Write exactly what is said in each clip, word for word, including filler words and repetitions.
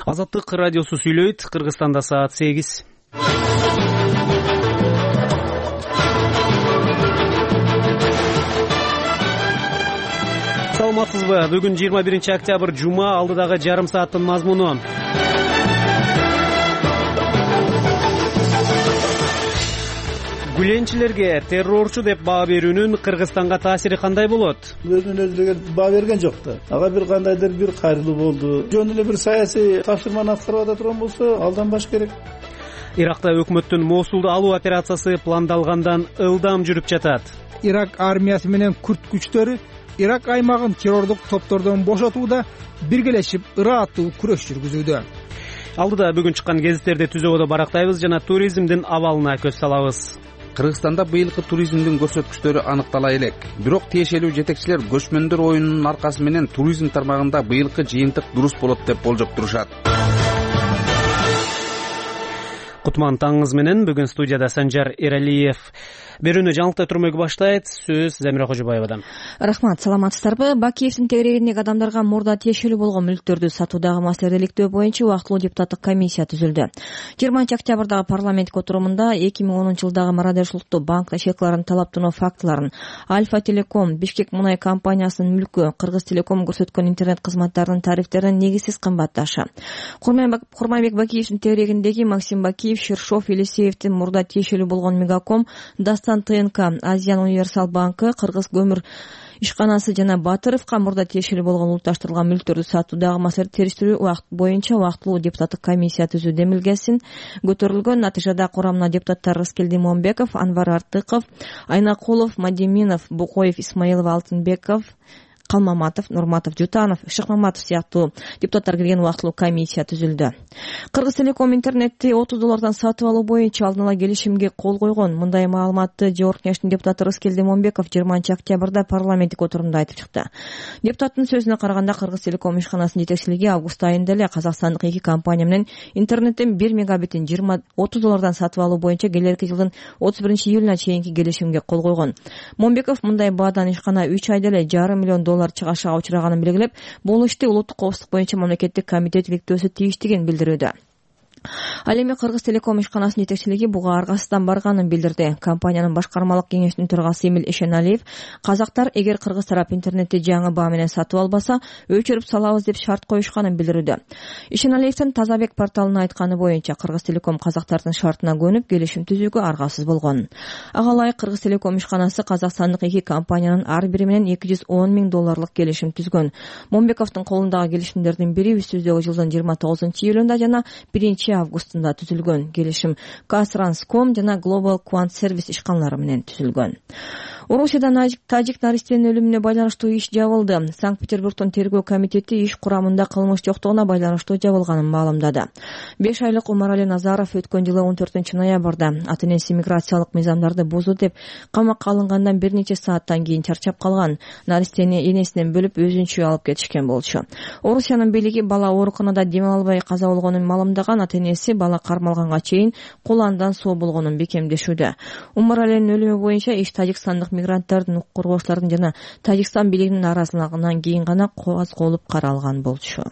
Азаттык радиосу сүйлөйт. Кыргызстанда саат сегиз. Саламатсызбы? Бүгүн жыйырма биринчи октябрь жума, алдыдагы жарым сааттын мазмуну. Гүленчилерге террорчу деп баа берүүнүн Кыргызстанга таасири кандай болот? Өзүнүн өзү деген баа берген жок да. Ага бир кандайдыр бир кайрылуу болду. Жөн эле бир саясий тапшырманы аткарып ата турган болсо, алданбаш керек. Иракта өкмөттүн Мосулду алуу операциясы пландалгандан ылдам жүрүп жатат. Ирак армиясы менен күрд күчтөрү Ирак аймагын террордук топтордон бошотууда биргелешип ырааттуу күрөш жүргүзүүдө. Алдыда бүгүн чыккан гезиттерди түзөгөдө барактайбыз жана туризмдин абалына көз салабыз. Кыргызстанда быйылкы туризмдин көрсөткүчтөрү аныктала элек. Бирок тиешелүү жетекчилер көчмөндөр оюнунун аркасы менен туризм тармагында быйылкы жыйынтык дурус болот деп болжоп турушат. Кутман таңыңыз менен бүгүн студияда Санжар Эралиев. Берүүнү жаңылыктай турмөөгө баштайт. Сөз Замира Кожобаевадан. Рахмат, саламатсыздарбы? Бакиевдин тегерегиндеги адамдарга мурда тиешелүү болгон мүлктөрдү сатуудагы маселени иликтөө боюнча убактылуу депутаттык комиссия түзүлдү. жыйырманчы октябрдагы парламент отурумунда эки миң онунчу жылдагы мародерчиликтүү банк ишекларын талаптануу фактыларын, Альфа Телеком, Бишкек мунай компаниясынын мүлкү, Кыргыз Телеком көрсөткөн интернет кызматтарынын тарифтеринин негизсиз кымбатташы, Курманбек Бакиевдин тегерегиндеги Максим Бакиев, Шершов, Елисеевдин мурда тиешелүү болгон Мегаком, Дастан ТНК, Азиян Универсал банкы, Кыргыз көмүр ишканасы жана Батыровго мурда тиешелүү болгон улутташтырылган мүлктөрдү сатуудагы маселени териштирүү убакыт боюнча убактылуу депутаттык комиссия түзүү демилгесин көтөрүлгөн. Натыйжада курамына депутаттар Рыскелди Момбеков, Анвар Артыков, Айнакулов, Мадиминов, Букоев, Исмаилов, Алтынбеков, Калмаматов, Нурматов, Жутанов, Шыкмаматов сыяктуу депутаттар кирген убактылуу комиссия түзүлдү. Кыргыз Телеком интернетти отуз доллардан сатып алуу боюнча алдын ала келишимге кол койгон. Мындай маалыматты Жогорку Кеңештин депутаты Рыскелди Момбеков жыйырманчы октябрда парламенттик отурумда айтып чыкты. Депутаттын сөзүнө караганда, Кыргыз Телеком ишканасынын жетекчилиги август айында эле казакстандык эки компания менен интернеттен бир мегабитин жыйырма отуз доллардан сатып алуу боюнча келерки жылдын отуз биринчи июлуна чейинки келишимге кол койгон. Момбеков мындай баадан ишкана үч айда эле жарым миллион доллар чыгашага учураганын белгилеп, бул ишти улуттук коопсуздук боюнча мамлекеттик комитет иликтөөсү тийиштигин билдирүүдө. Ал эми Кыргыз Телеком ишканасынын жетекчилиги буга аргасыздан барганын билдирди. Компаниянын башкармалык кеңешинин төрагасы Эмил Эшеналиев, казактар эгер кыргыз тарап интернетти жаңы баа менен сатып албаса, өчүрүп салабыз деп шарт коюшканын билдирүүдө. Эшеналиевдин Тазабек порталына айтканы боюнча, Кыргыз Телеком казактардын шартына көнүп келишим түзүүгө аргасыз болгон. Ага ылайык Кыргыз Телеком ишканасы казакстандык эки компаниянын ар бири менен эки жүз он миң долларлык келишим түзгөн. Момбековдун колундагы келишимдердин бири үстүбүздөгү жылдын жыйырма тогузунчу июлунда жана биринчи августунда түзүлгөн. Келишим Казтранском жана Global Quant Service ишканалары менен түзүлгөн. Орусияда тажик наристенин өлүмүнө байланыштуу иш жабылды. Санкт-Петербургдун тергөө комитети иш курамында кылмыш жоктугуна байланыштуу жабылганын маалымдады. беш айлык Умарали Назаров өткөн жылы он төртүнчү ноябрда ата-энеси миграциялык мыйзамдарды бузду деп камакка алынгандан бир нече сааттан кийин чарчап калган. Наристени энесинен бөлүп өзүнчө алып кетишкен болчу. Орусиянын бийлиги бала ооруканада дем албай каза болгонун маалымдаган. Ата-энеси бала кармалганга чейин куландан соо болгонун бекемдешүүдө. Умаралинин өлүмү боюнча иш тажикстандык мигранттардын, укук коргоочулардын жана Тажикстан бийлигинин арасындагынан кийин гана кооз-колуп каралган болчу.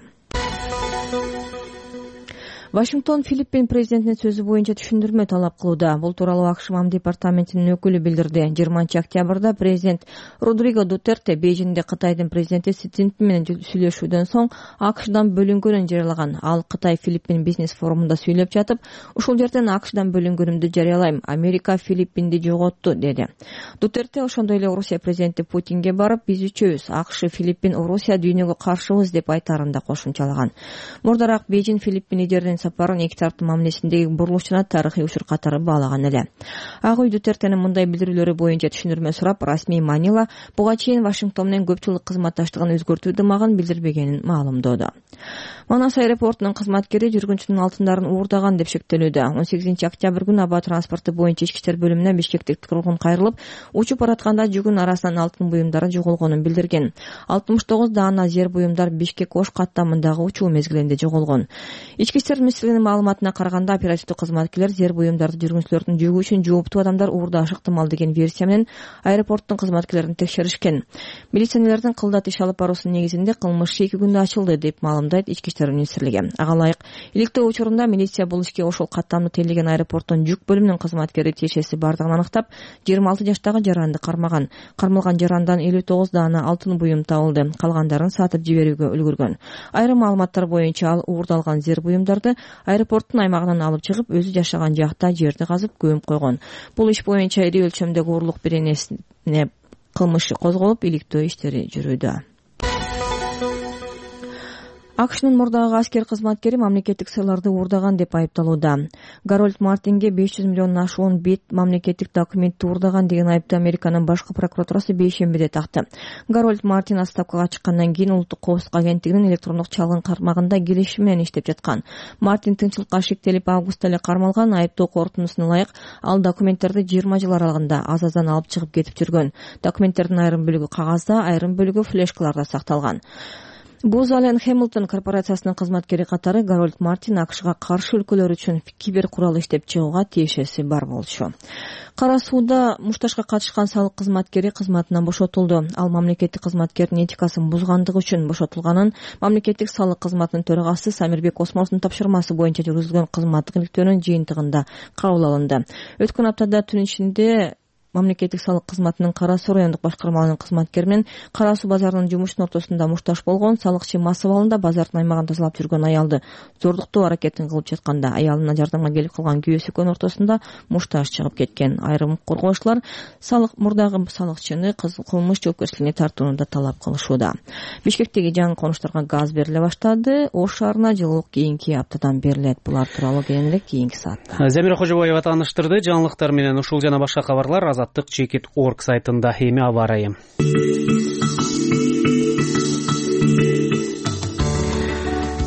Вашингтон Филиппин президентинин сөзү боюнча түшүндүрмө талап кылууда. Бул тууралуу АКШ МАМ департаментинин өкүлү билдирди. жыйырманчы октябрда президент Родриго Дутерте Бейжиңде Кытайдын президенти Си Цзиньпин менен сүйлөшүүдөн соң АКШдан бөлүнгөнүн жарыялаган. Ал Кытай Филиппин бизнес форумунда сүйлөп жатып, ушул жерден АКШдан бөлүнгөнүмдү жарыялайм. Америка Филиппинди жоготту, деди. Дутерте ошондой эле Орусия президенти Путинге барып, биз үчөөбүз АКШ, Филиппин, Орусия дүйнөгө каршыбыз деп айтаарында кошумчалаган. Мурдараак Бейжиң Филиппин лидеринин сапарын эки тараптын мамилесиндеги бурулуш жана тарыхый учур катары баалаган эле. Ак үй Дутертенин мындай билдирүүлөрү боюнча түшүндүрмө сурап, расмий Манила буга чейин Вашингтон менен көп жылдык кызматташтыгын өзгөртүү дымагын билдирбегенин маалымдоодо. Манас аэропортунун кызматкери жүргүнчүнүн алтындарын уурдаган деп шектелүүдө. он сегизинчи октябрь күнү аба транспорту боюнча ички иштер бөлүмүнө бишкектик тургун кайрылып, учуп баратканда жүгүн арасынан алтын буюмдары жоголгонун билдирген. алтымыш тогуз даана зер буюмдар Бишкек Ош каттамындагы учуу мезгилинде жоголгон. Ички иштер министрлигинин маалыматына караганда, оперативдик кызматкерлер зер буюмдарды жүргүнчүлөрдүн жүгү үчүн жооптуу адамдар уурдаашы ыктымал деген версия менен аэропорттун кызматкерлерин текшеришкен. Милиционерлердин кылдат иш алып баруусунун негизинде кылмыш эки күндө ачылды деп маалымдайт Ички иштер министрлиги. Ага ылайык иликтөө учурунда милиция бул ишке ошол каттамды тейлеген аэропорттун жүк бөлүмүнүн кызматкери тиешеси бардыгын аныктап, жыйырма алты жаштагы жаранды кармаган. Кармалган жарандан элүү тогуз даана алтын буюм табылды. Калгандарын сатып жиберүүгө үлгүргөн. Айрым маалыматтар боюнча ал уурдалган зер буюмдарды аэропорттун аймагынан алып чыгып, өзү жашаган жакта жерди казып көмүп койгон. Бул иш боюнча ири өлчөмдөгү урлук беренесине кылмыш козголуп, иликтөө иштери жүрүүдө. АКШнын мурдагы аскер кызматкери мамлекеттик сыйларды уурдаган деп айыпталууда. Гарольд Мартинге беш жүз миллиондон ашуун бет мамлекеттик документти уурдаган деген айыпты Американын башкы прокуратурасы бейшембиде такты. Гарольд Мартин отставкага чыккандан кийин Улуттук коопсуздук агенттигинин электрондук чалгын кармагында келишим менен иштеп жаткан. Мартин тынччылыкка шектелип августта эле кармалган. Айыптоо корутундусуна ылайык ал документтерди жыйырма жыл аралыгында азаздан алып чыгып кетип жүргөн. Документтердин айрым бөлүгү кагазда, айрым бөлүгү флешкаларда сакталган. Booz Allen Hamilton корпорациясынын кызматкери катары Гарольд Мартин АКШга каршы өлкөлөр үчүн кибер курал иштеп чыгууга тиешеси бар болчу. Кара сууда мушташка катышкан салык кызматкери кызматынан бошотулду. Ал мамлекеттик кызматкердин этикасын бузгандыгы үчүн бошотулганын мамлекеттик салык кызматынын төрагасы Самирбек Осмоновдун тапшырмасы боюнча жүргүзүлгөн кызматтык иликтөөнүн жыйынтыгында кабыл алынды. Өткөн аптада түн ичинде мамлекеттик салык кызматынын Кара Суу райондук башкармалыгынын кызматкери менен Кара Суу базарынын жумушунун ортосунда мушташ болгон салыкчы массып абалында базардын аймагын тазалап жүргөн аялды зордуктоо аракетин кылып жатканда аялына жардамга келип калган күйөөсү экөөнүн ортосунда мушташ чыгып кеткен. Айрым коргоочулар салык мурдагы салыкчыны кылмыш жоопкерчилигине тартууну да талап кылышууда. Бишкектеги жаңы конуштарга газ бериле баштады. Ош шаарына жылуулук кийинки аптадан берилет. Булар тууралуу кийинирээк кийинки саатта. Замира Кожобаева тааныштырды. Жаңылыктар менен ушул жана башка кабарлар азаттык чекит точка орг сайтында. Эми аба ырайы.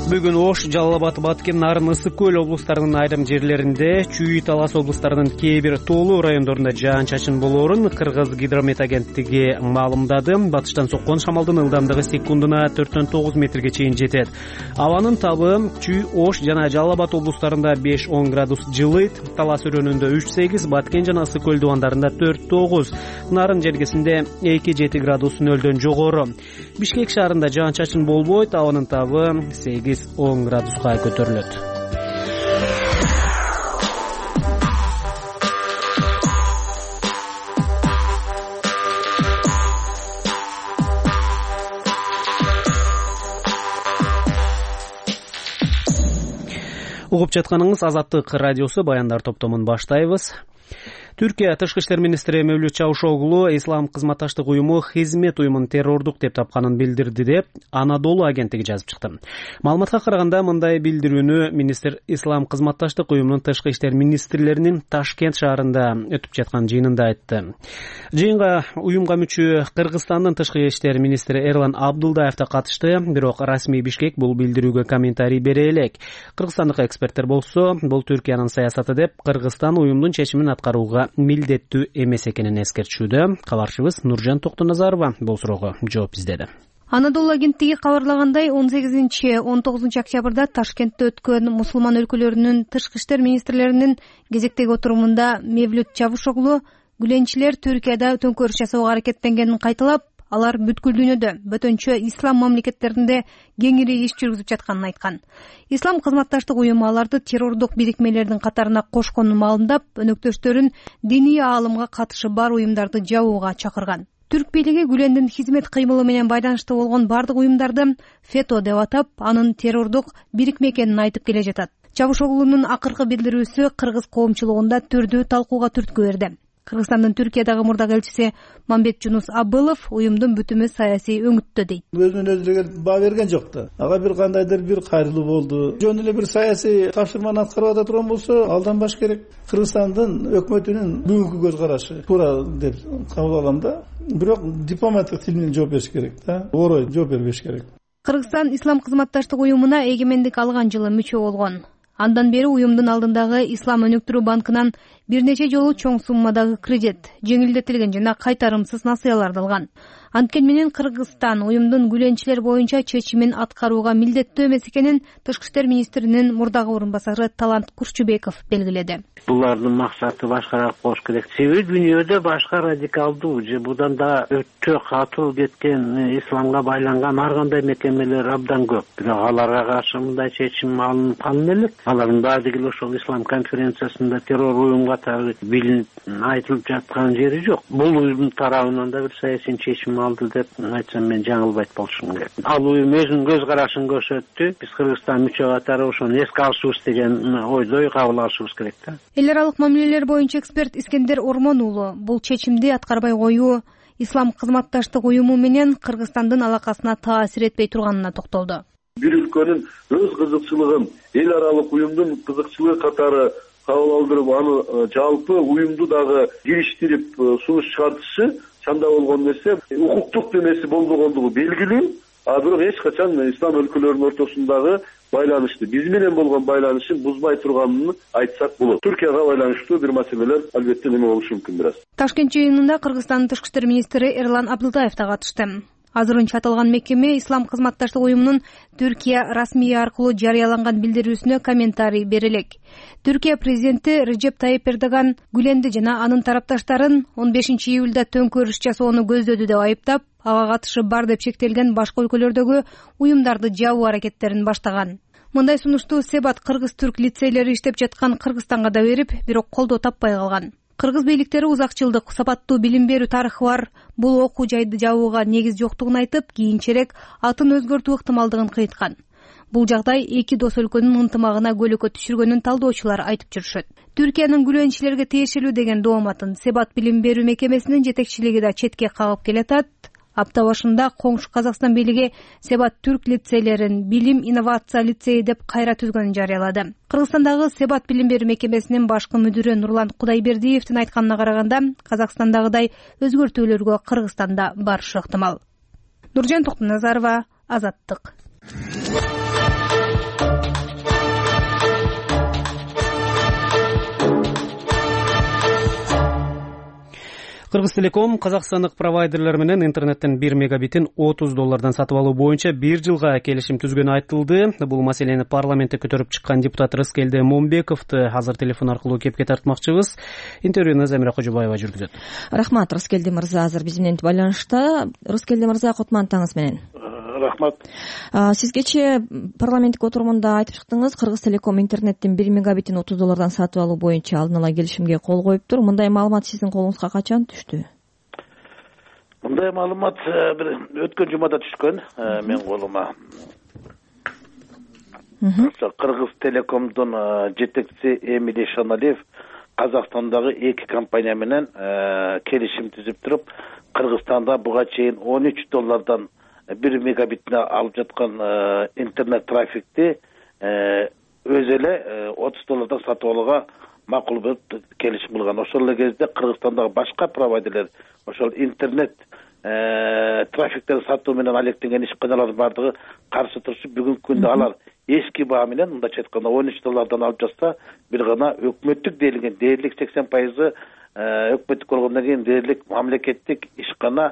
Бүгүн Ош, Жалал Абад, Баткен, Нарын, Ысык көл облустарынын айрым жерлеринде, Чүй, Талас облустарынын кээ бир тоолуу райондорунда жаан-чачын болоорун Кыргыз гидромет агенттиги маалымдады. Батыштан соккон шамалдын ылдамдыгы секундуна төрттөн тогуз метрге чейин жетет. Абанын табы Чүй, Ош жана Жалал Абад облустарында беш он градус жылыйт. Талас өрөөнүндө үч сегиз, Баткен жана Ысык көл дубандарында төрт тогуз, Нарын жергесинде эки жети градус нөлдөн жогору. Бишкек шаарында жаан-чачын болбойт. Абанын табы сегиз он градуска көтөрүлөт. Угуп жатканыңыз Азаттык радиосу, Баяндар топтомун баштайбыз. Түркия тышкы иштер министри Мевлют Чавушоглу ислам кызматташтык уюму хизмет уюмун террордук деп тапканын билдирди деп Анадолу агенттиги жазып чыкты. Маалыматка караганда мындай билдирүүнү министр ислам кызматташтык уюмунун тышкы иштер министрлеринин Ташкент шаарында өтүп жаткан жыйынында айтты. Жыйынга уюмга мүчө Кыргызстандын тышкы иштер министри Эрлан Абдулдаев да катышты, бирок расмий Бишкек бул билдирүүгө комментарий бере элек. Кыргызстандык эксперттер болсо, бул Түркиянын саясаты деп Кыргызстан уюмдун чечимин аткарууга милдеттүү эмес экенин эскертүүдө. Кабарчыбыз Нуржан Токтоназарова бул суроого жооп издеди. Анадолу агенттиги кабарлагандай, он сегизинчи он тогузунчу октябрда Ташкентте өткөн мусулман өлкөлөрүнүн тышкы иштер министрлеринин кезектеги отурумунда Мевлют Чавушоглу гүленчилер Түркияда төңкөрүш жасоого аракеттенгенин кайталап, алар бүткүл дүйнөдө бөтөнчө ислам мамлекеттеринде кеңири иш жүргүзүп жатканын айткан. Ислам кызматташтык уюму аларды террордук бирикмелердин катарына кошконун маалымдап, өнөктөштөрүн диний аалымга катышы бар уюмдарды жабууга чакырган. Түрк бийлиги Гүлендин хизмет кыймылы менен байланыштуу болгон бардык уюмдарды фето деп атап, анын террордук бирикме экенин айтып келе жатат. Чавушоглунун акыркы билдирүүсү кыргыз коомчулугунда түрдүү талкууга түрткү берди. Кыргызстандын Түркиядагы мурдагы элчиси Мамбет Жунус Абылов уюмдун бүтүмү саясий өңүттө дейт. Өзүнөн өзү деле баа берген жок да. Ага бир кандайдыр бир кайрылуу болду. Жөн эле бир саясий тапшырманы аткарып ата турган болсо, алданбаш керек. Кыргызстандын өкмөтүнүн бүгүнкү көз карашы туура деп кабыл алам да. Бирок дипломаттык тил менен жооп бериш керек да. Орой жооп бербеш керек. Кыргызстан ислам кызматташтык уюмуна эгемендик алган жылы мүчө болгон. Андан бери уюмдун алдындагы Ислам өнүктүрүү банкынан бир нече жолу чоң суммадагы кредит, жеңилдетилген жана кайтарымсыз насыяларды алган. Анткени менен Кыргызстан уюмдун гүлөнчүлөр боюнча чечимин аткарууга милдеттүү эмес экенин Тышкы иштер министринин мурдагы орун басары Талант Курчубеков белгиледи. Булардын максаты башкараак болуш керек. Себеби дүйнөдө башка радикалдуу же будан да өтө катуу кеткен исламга байланган ар кандай мекемелер абдан көп. Бирок аларга каршы мындай чечим алынып калын элек. Алардын баардыгы эле ошол ислам конференциясында террор уюм катары билинип айтылып жаткан жери жок. Бул уюмдун тарабынан да бир саясий чечим алды деп айтсам мен жаңылбайт болушум керек. Ал уюм өзүнүн көз карашын көрсөттү. Биз Кыргызстан мүчө катары ошону эске алышыбыз деген ойдой кабыл алышыбыз керек да. Эл аралык мамилелер боюнча эксперт Искендер Ормон уулу бул чечимди аткарбай коюу Ислам кызматташтык уюму менен Кыргызстандын алакасына таасир этпей турганына токтолду. Бир өлкөнүн өз кызыкчылыгын эл аралык уюмдун кызыкчылыгы катары кабыл алдырып, аны жалпы уюмду дагы кириштирип сунуш чыгартышы чанда болгон нерсе. Укуктук демеси болбогондугу белгилүү, а бирок эч качан ислам өлкөлөрүнүн ортосундагы байланышты, биз менен болгон байланышын бузбай турганын айтсак болот. Түркияга байланыштуу бир маселелер албетте неме болушу мүмкүн бир аз. Ташкент жыйынында Кыргызстандын Тышкы иштер министри Эрлан Абдылдаев да катышты. Азырынча аталган мекеме Ислам кызматташтык уюмунун Түркия расмий аркылуу жарыяланган билдирүүсүнө комментарий бере элек. Түркия президенти Режеп Тайип Эрдоган Гүленди жана анын тарапташтарын он бешинчи июлда төңкөрүш жасоону көздөдү деп айыптап, ага катышы бар деп шектелген башка өлкөлөрдөгү уюмдарды жабуу аракеттерин баштаган. Мындай сунушту Себат кыргыз-түрк лицейлери иштеп жаткан Кыргызстанга да берип, бирок колдоо таппай калган. Кыргыз бийликтери узак жылдык сапаттуу билим берүү тарыхы бар бул окуу жайды жабууга негиз жоктугун айтып, кийинчерээк атын өзгөртүү ыктымалдыгын кыйткан. Бул жагдай эки дос өлкөнүн ынтымагына көйгөй түшүргөнүн талдоочулар айтып жүрүшөт. Түркиянын гүлөнчүлөргө тиешелүү деген дооматын Себат билим берүү мекемесинин жетекчилиги да четке кагып келатат. Апта башында коңшу Казакстан бийлиги Себат түрк лицейлерин билим инновация лицейи деп кайра түзгөнүн жарыялады. Кыргызстандагы Себат билим берүү мекемесинин башкы мүдүрү Нурлан Кудайбердиевдин айтканына караганда, Казакстандагыдай өзгөртүүлөргө Кыргызстанда барышы ыктымал. Нуржан Токтоназарова, Азаттык. Кыргыз Телеком казакстандык провайдерлер менен интернеттен бир мегабитин отуз доллардан сатып алуу боюнча бир жылга келишим түзгөнү айтылды. Бул маселени парламентте көтөрүп чыккан депутат Рыскелде Момбековду азыр телефон аркылуу кепке тартмакчыбыз. Интервьюну Замира Кожобаева жүргүзөт. Рахмат, Рыскелде мырза азыр биз менен байланышта. Рыскелде мырза, кутмандыгыңыз менен. Рахмат. Сиз кечээ парламенттик отурумунда айтып чыктыңыз, Кыргыз Телеком интернеттен бир мегабитин отуз доллардан сатып алуу боюнча алдын ала келишимге кол коюптур. Мындай маалымат сиздин колуңузга качан түштү? Мындай маалымат бир өткөн жумада түшкөн мен колума. Кыргыз Телекомдун жетекчиси Эмилий Шаналиев Казакстандагы эки компания менен келишим түзүп туруп, Кыргызстанда буга чейин он үч доллардан бир мегабитине алып жаткан интернет трафикти өзү эле отуз доллардан сатып алууга макул болуп келишим кылган. Ошол эле кезде Кыргызстандагы башка провайдерлер ошол интернет трафиктерди сатуу менен алектенген ишканалардын бардыгы каршы турушуп, бүгүнкү күндө алар эски баа менен, мындайча айтканда он үч доллардан алып жатса, бир гана өкмөттүк дээрлик дээрлик сексен пайызы өкмөттүк болгондон кийин дээрлик мамлекеттик ишкана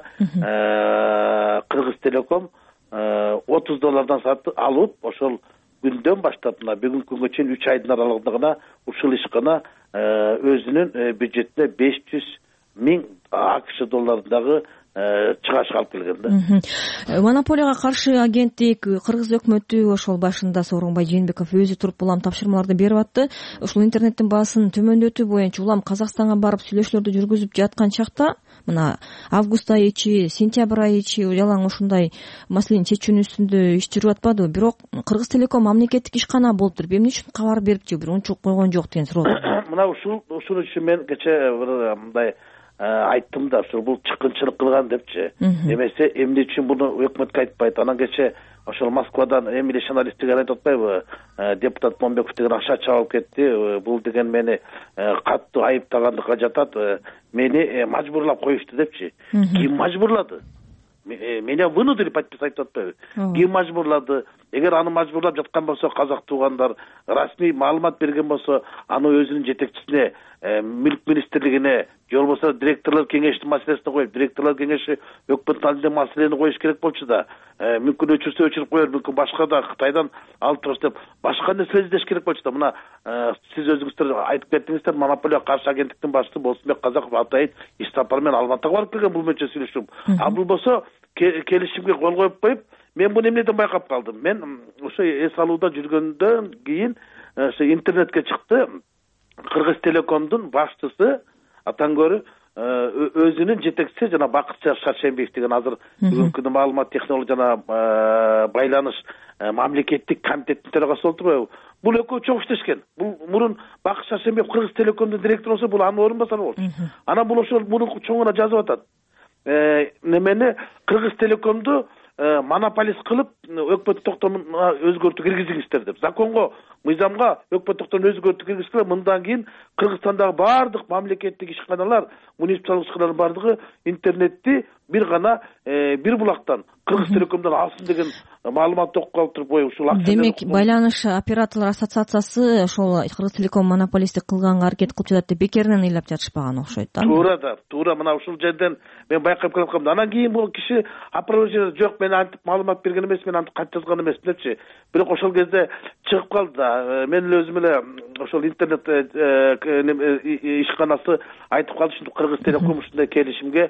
Кыргыз Телеком отуз доллардан сатып алып, ошол күндөн баштап мына бүгүнкү күнгө чейин үч айдын аралыгында гана ушул ишкана өзүнүн бюджетине беш жүз миң АКШ долларындагы чыгаш алып келген да. Монополияга каршы агенттик, Кыргыз өкмөтү ошол башында Сооронбай Жээнбеков өзү туруп улам тапшырмаларды берип атты. Ушул интернеттин баасын төмөндөтүү боюнча улам Казакстанга барып сүйлөшүүлөрдү жүргүзүп жаткан чакта, мына август айы ичи, сентябрь айы ичи жалаң ушундай маселени чечүүнүн үстүндө иш жүрүп атпадыбы? Бирок Кыргыз Телеком мамлекеттик ишкана болуп туруп, эмне үчүн кабар берип же бир унчук койгон жок деген суроо. Мына ушул ушул үчүн мен кечээ бир мындай айттым да, ушул бул чыккынчылык кылган депчи. Эмесе эмне үчүн буну өкмөткө айтпайт? Анан кечээ ошол Москвадан Эмилий Шаналиев деген айтып атпайбы? Депутат Момбеков деген акча чабып кетти. Бул деген мени катуу айыптагандыкка жатат. Мени мажбурлап коюшту депчи. Ким мажбурлады? меня вынудили подписать деп атпайбы. Ким мажбурлады? Эгер аны мажбурлап жаткан болсо казак туугандар расмий маалымат берген болсо, аны өзүнүн жетекчисине, мүлк министрлигине, же болбосо директорлор кеңештин маселесине коюп, директорлор кеңеши өкмөттүн алдында маселени коюш керек болчу да. Мүмкүн өчүрсө өчүрүп коер, мүмкүн башка да Кытайдан алып турабыз деп башка нерсе издеш керек болчу да. Мына сиз өзүңүздөр айтып кеттиңиздер, монополия каршы агенттиктин башчысы Болсунбек Казаков атайын иш сапар менен Алматыга барып келген бул менче сүйлөшүп. А бул болсо келишимге кол коюп коюп, мен буну эмнеден байкап калдым? Мен ошо эс алууда жүргөндөн кийин ошо интернетке чыкты. Кыргыз Телекомдун башчысы Атаңгөрү өзүнүн жетекчиси жана Бакытжан Шаршембиев деген азыр бүгүнкү күндө маалымат технология жана байланыш мамлекеттик комитеттин төрагасы болуп турбайбы? Бул экөө чоң иштешкен. Бул мурун Бакыт Шаршембиев Кыргыз Телекомдун директору болсо, бул анын орун басары болчу. Анан бул ошол мурун чоңуна жазып атат. Немени Кыргыз Телекомду монополист кылып өкмөт токтомуна өзгөртүү киргизиңиздер деп. Законго, мыйзамга өкмөт токтомуна өзгөртүү киргизгиле. Мындан кийин Кыргызстандагы бардык мамлекеттик ишканалар, муниципалдык ишканалардын бардыгы интернетти бир гана бир булактан Кыргыз Телекомдон алсын деген маалымат окуп калып туруп коюп ушул акча. Демек, байланыш операторлор ассоциациясы ошол Кыргыз Телеком монополисттик кылганга аракет кылып жатат деп бекеринен ыйлап жатышпаган окшойт да. Туура да, туура. Мына ушул жерден мен байкап келип калдым. Анан кийин бул киши опровержение жок, мен антип маалымат берген эмес, мен антип кат жазган эмес депчи. Бирок ошол кезде чыгып калды да. Мен эле өзүм эле ошол интернет ишканасы айтып калды, ушинтип Кыргыз Телеком ушундай келишимге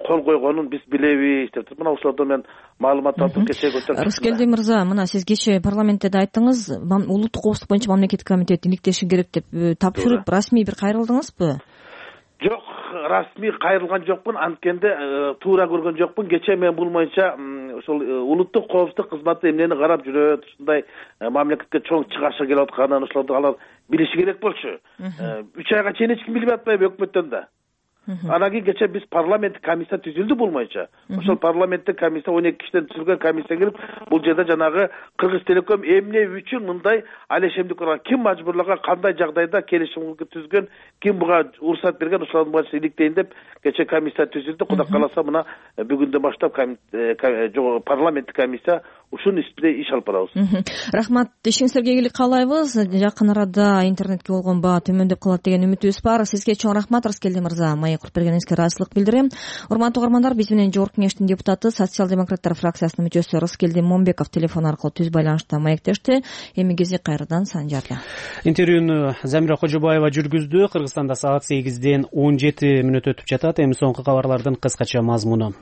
кол койгонун биз билебиз деп. Мына ошолордон мен маалымат алып кечээ көтөрүп. Рыскелди мырза, мына сиз кечээ парламентте да айттыңыз, улуттук коопсуздук боюнча мамлекеттик комитет иликтеши керек деп тапшырып, расмий бир кайрылдыңызбы? Жок, расмий кайрылган жокмун, анткенде туура көргөн жокмун. Кечээ мен бул боюнча ошол улуттук коопсуздук кызматы эмнени карап жүрөт, ушундай мамлекетке чоң чыгарышка келип атканын ошолорду алар билиши керек болчу. үч айга чейин эч ким билбей атпайбы өкмөттөн да. Анан кийин кечээ биз парламенттик комиссия түзүлдү бул боюнча. Ошол парламенттик комиссия он эки кишиден түзүлгөн комиссия кирип, бул жерде жанагы Кыргыз Телеком эмне үчүн мындай алешемдик кылган, ким мажбурлаган, кандай жагдайда келишим түзгөн, ким буга уруксат берген, ошолордун баарын иликтейин деп кечээ комиссия түзүлдү. Кудай кааласа мына бүгүндөн баштап парламенттик комиссия ушул иште иш алып барабыз. Рахмат, ишиңиздерге ийгилик каалайбыз. Жакын арада интернетке болгон баа төмөндөп калат деген үмүтүбүз бар. Сизге чоң рахмат, Рыскелди мырза. Маек куруп бергениңизге ыраазычылык билдирем. Урматтуу угармандар, биз менен Жогорку Кеңештин депутаты, социал-демократтар фракциясынын мүчөсү Рыскелди Момбеков телефон аркылуу түз байланышта маектешти. Эми кези кайрадан Санжарда. Интервьюну Замира Кожобаева жүргүздү. Кыргызстанда саат сегизден он жети мүнөт өтүп жатат. Эми соңку кабарлардын кыскача мазмуну.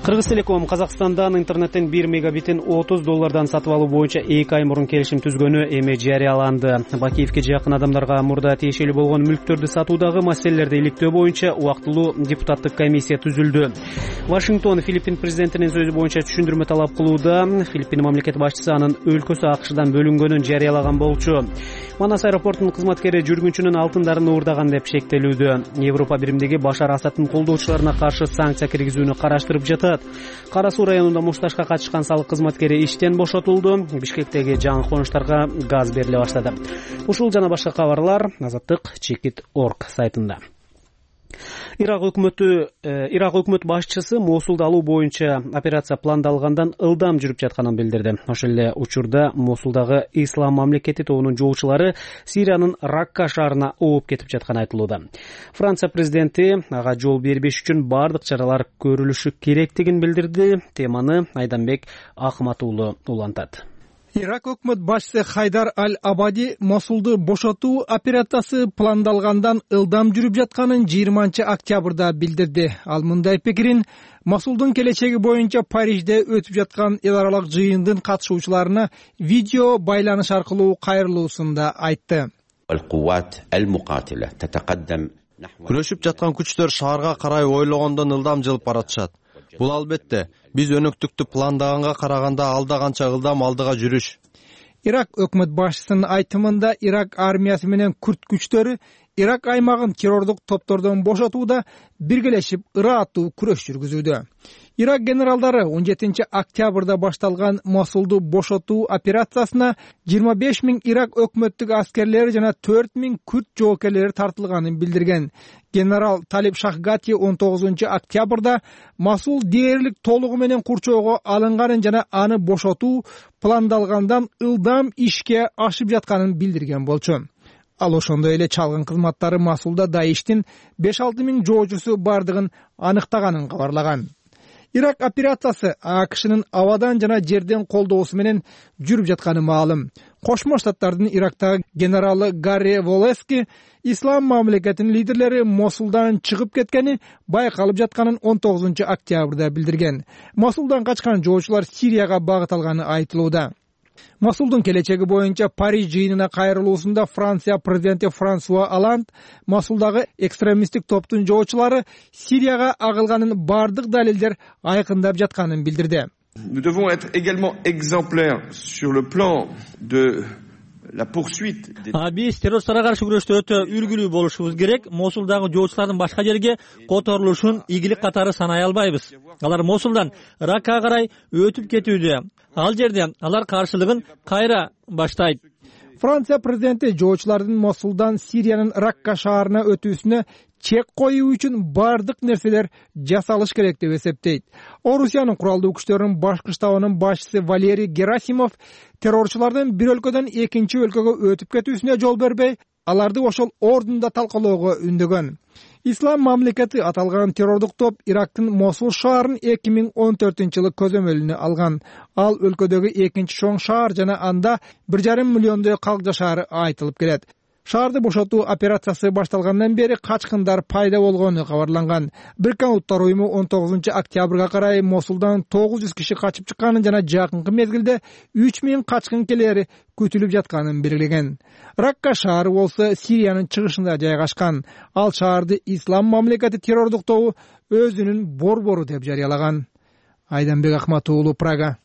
Кыргыз Телеком Казакстандан интернеттен бир мегабитин отуз доллардан сатып алуу боюнча эки ай мурун келишим түзгөнү эми жарыяланды. Бакиевке жакын адамдарга мурда тиешелүү болгон мүлктөрдү сатуудагы маселелерди иликтөө боюнча убактылуу депутаттык комиссия түзүлдү. Вашингтон Филиппин президентинин сөзү боюнча түшүндүрмө талап кылууда. Филиппин мамлекет башчысы анын өлкөсү АКШдан бөлүнгөнүн жарыялаган болчу. Манас аэропортунун кызматкери жүргүнчүнүн алтындарын уурдаган деп шектелүүдө. Европа биримдиги Башар Асадтын колдоочуларына каршы санкция киргизүүнү караштырып жатат. Кара Суу районунда мушташка катышкан салык кызматкери иштен бошотулду. Бишкектеги жаңы конуштарга газ бериле баштады. Ушул жана башка кабарлар Азаттык чекит точка орг сайтында. Ирак өкмөтү Ирак өкмөт башчысы Мосулду алуу боюнча операция пландалгандан ылдам жүрүп жатканын билдирди. Ошол эле учурда Мосулдагы Ислам мамлекети тобунун жоочулары Сириянын Ракка шаарына ооп кетип жатканы айтылууда. Франция президенти ага жол бербеш үчүн бардык чаралар көрүлүшү керектигин билдирди. Теманы Айданбек Акмат уулу улантат. Ирак өкмөт башчысы Хайдар Аль-Абади Мосулду бошотуу операциясы пландалгандан ылдам жүрүп жатканын жыйырманчы октябрда билдирди. Ал мындай пикирин Мосулдун келечеги боюнча Парижде өтүп жаткан эл аралык жыйындын катышуучуларына видео байланыш аркылуу кайрылуусунда айтты. Күрөшүп жаткан күчтөр шаарга карай ойлогондон ылдам жылып баратышат. Бул албетте биз өнөктүктү пландаганга караганда алда канча ылдам алдыга жүрүш. Ирак өкмөт башчысынын айтымында Ирак армиясы менен күрд күчтөрү Ирак аймагын террордук топтордон бошотууда биргелешип ырааттуу күрөш жүргүзүүдө. Ирак генералдары он жетинчи октябрда башталган Мосулду бошотуу операциясына жыйырма беш миң Ирак өкмөттүк аскерлери жана төрт миң күрд жоокерлери тартылганын билдирген. Генерал Талиб Шахгати он тогузунчу октябрда Мосул дээрлик толугу менен курчоого алынганын жана аны бошотуу пландалгандан ылдам ишке ашып жатканын билдирген болчу. Ал ошондой эле чалгын кызматтары Мосулда Даиштин беш алты миң жоочусу бардыгын аныктаганын кабарлаган. Ирак операциясы АКШнын абадан жана жерден колдоосу менен жүрүп жатканы маалым. Кошмо Штаттардын Ирактагы генералы Гарри Волески ислам мамлекетинин лидерлери Мосулдан чыгып кеткени байкалып жатканын он тогузунчу октябрда билдирген. Мосулдан качкан жоочулар Сирияга багыт алганы айтылууда. Мосулдун келечеги боюнча Париж жыйынына кайрылуусунда Франция президенти Франсуа Оланд Мосулдагы экстремисттик топтун жоочулары Сирияга агылганын бардык далилдер айкындап жатканын билдирди. Nous devons être également exemplaires sur le plan de la poursuite des... Биз террористтарга каршы күрөштө өтө үлгүлүү болушубуз керек. Мосулдагы жоочулардын башка жерге которулушун ийгилик катары санай албайбыз. Алар Мосулдан Ракка карай өтүп кетүүдө. Ал жерде алар каршылыгын кайра баштайт. Франция президенти жоочулардын Мосулдан Сириянын Ракка шаарына өтүүсүнө чек коюу үчүн бардык нерселер жасалыш керек деп эсептейт. Орусиянын куралдуу күчтөрүнүн башкы штабынын башчысы Валерий Герасимов террорчулардын бир өлкөдөн экинчи өлкөгө өтүп кетүүсүнө жол бербей, аларды ошол ордунда талкалоого үндөгөн. Ислам мамлекети аталган террордук топ Ирактын Мосул шаарын эки миң он төртүнчү жылы көзөмөлүнө алган. Ал өлкөдөгү экинчи чоң шаар жана анда бир жарым миллиондой калк жашаары айтылып келет. Шаарды бошотуу операциясы башталгандан бери качкындар пайда болгону кабарланган. Бириккен Улуттар уюму он тогузунчу октябрга карай Мосулдан тогуз жүз киши качып чыкканын жана жакынкы мезгилде үч миң качкын келери күтүлүп жатканын белгилеген. Ракка шаары болсо Сириянын чыгышында жайгашкан. Ал шаарды Ислам мамлекети террордук тобу өзүнүн борбору деп жарыялаган. Айданбек Акмат уулу, Прага.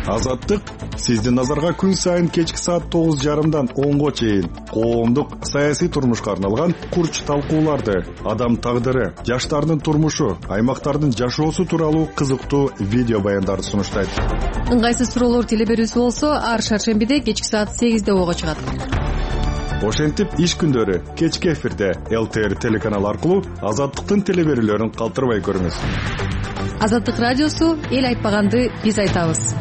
Азаттык сиздин назарга күн сайын кечки саат тогуз жарымдан онго чейин коомдук саясий турмушка арналган курч талкууларды, адам тагдыры, жаштардын турмушу, аймактардын жашоосу тууралуу кызыктуу видео баяндарды сунуштайт. Ыңгайсыз суроолор теле берүүсү болсо ар шаршембиде кечки саат сегизде ого чыгат. Ошентип иш күндөрү кечки эфирде эл тэ эр телеканалы аркылуу Азаттыктын теле берүүлөрүн калтырбай көрүңүз. Азаттык радиосу эл айтпаганды биз айтабыз.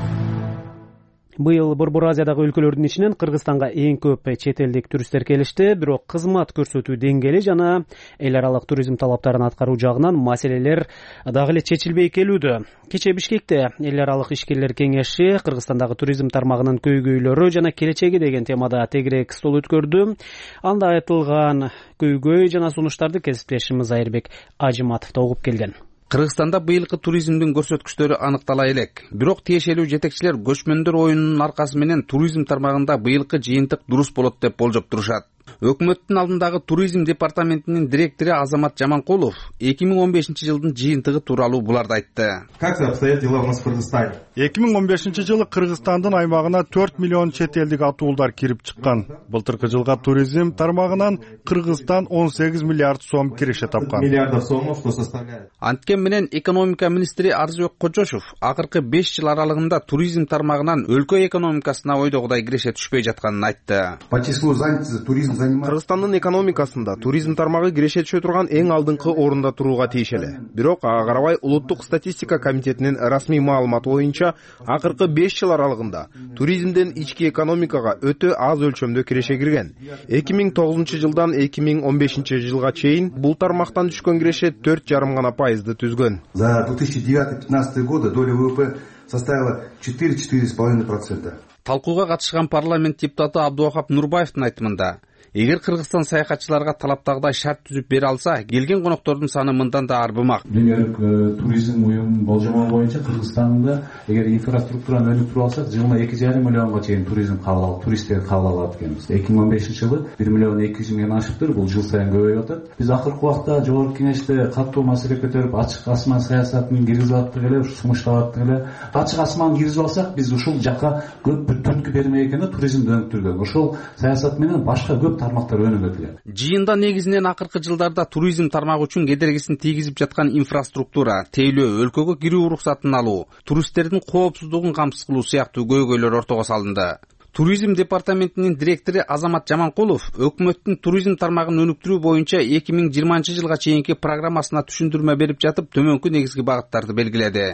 Быйыл Борбор Азиядагы өлкөлөрдүн ичинен Кыргызстанга эң көп чет элдик туристтер келишти, бирок кызмат көрсөтүү деңгээли жана эл аралык туризм талаптарын аткаруу жагынан маселелер дагы эле чечилбей келүүдө. Кечээ Бишкекте эл аралык ишкерлер кеңеши Кыргызстандагы туризм тармагынын көйгөйлөрү жана келечеги деген темада тегерек стол өткөрдү. Анда айтылган көйгөй жана сунуштарды кесиптешimiz Айырбек Ажыматов да угуп келген. Кыргызстанда быйылкы туризмдин көрсөткүчтөрү аныктала элек. Бирок тиешелүү жетекчилер көчмөндөр оюнунун аркасы менен туризм тармагында быйылкы жыйынтык дурус болот деп болжоп турушат. Өкмөттүн алдындагы туризм департаментинин директору Азамат Жаманкулов эки миң он бешинчи жылдын жыйынтыгы тууралуу буларды айтты. Как обстоят дела у нас в Кыргызстане? эки миң он бешинчи жылы Кыргызстандын аймагына төрт миллион чет элдик атуулдар кирип чыккан. Былтыркы жылга туризм тармагынан Кыргызстан он сегиз миллиард сом киреше тапкан. Миллиардов сомов, что составляет. Анткен менен экономика министри Арзыбек Кожошов акыркы беш жыл аралыгында туризм тармагынан өлкө экономикасына ойдогудай киреше түшпөй жатканын айтты. По числу занятости туризм Кыргызстандын экономикасында туризм тармагы киреше түшө турган эң алдыңкы орунда турууга тиешелүү. Бирок ага карабай Улуттук статистика комитетинин расмий маалыматы боюнча акыркы беш жыл аралыгында туризмден ички экономикага өтө аз өлчөмдө киреше кирген. эки миң тогузунчу жылдан эки миң он бешинчи жылга чейин бул тармактан түшкөн киреше төрт жарым гана пайызды түзгөн. За две тысячи девятый — две тысячи пятнадцатый годы доля вэ вэ пэ составила четыре — четыре с половиной процента. Талкууга катышкан парламент депутаты Абдуахап Нурбаевдин айтымында, эгер Кыргызстан саякатчыларга талаптагыдай шарт түзүп бере алса, келген коноктордун саны мындан да арбымак. Дүйнөлүк туризм уюмунун болжому боюнча Кыргызстанда эгер инфраструктураны өнүктүрүп алсак, жылына эки жарым миллионго чейин туризм кабыл алып, туристтерди кабыл алат экенбиз. эки миң он бешинчи жылы бир миллион эки жүз миңден ашыптыр, бул жыл сайын көбөйүп атат. Биз акыркы убакта жогорку кеңеште катуу маселе көтөрүп, ачык асман саясатын киргизип аттык эле, сунуштап аттык эле. Ачык асман киргизип алсак, биз ушул жакка көп бир түрткү бермей экенде туризмди өнүктүргөн. Ошол саясат менен башка көп тармактар өнүгөт эле. Жыйында негизинен акыркы жылдарда туризм тармагы үчүн кедергисин тийгизип жаткан инфраструктура, тейлөө, өлкөгө кирүү уруксатын алуу, туристтердин коопсуздугун камсыз кылуу сыяктуу көйгөйлөр ортого салынды. Туризм департаментинин директору Азамат Жаманкулов өкмөттүн туризм тармагын өнүктүрүү боюнча эки миң жыйырманчы жылга чейинки программасына түшүндүрмө берип жатып, төмөнкү негизги багыттарды белгиледи.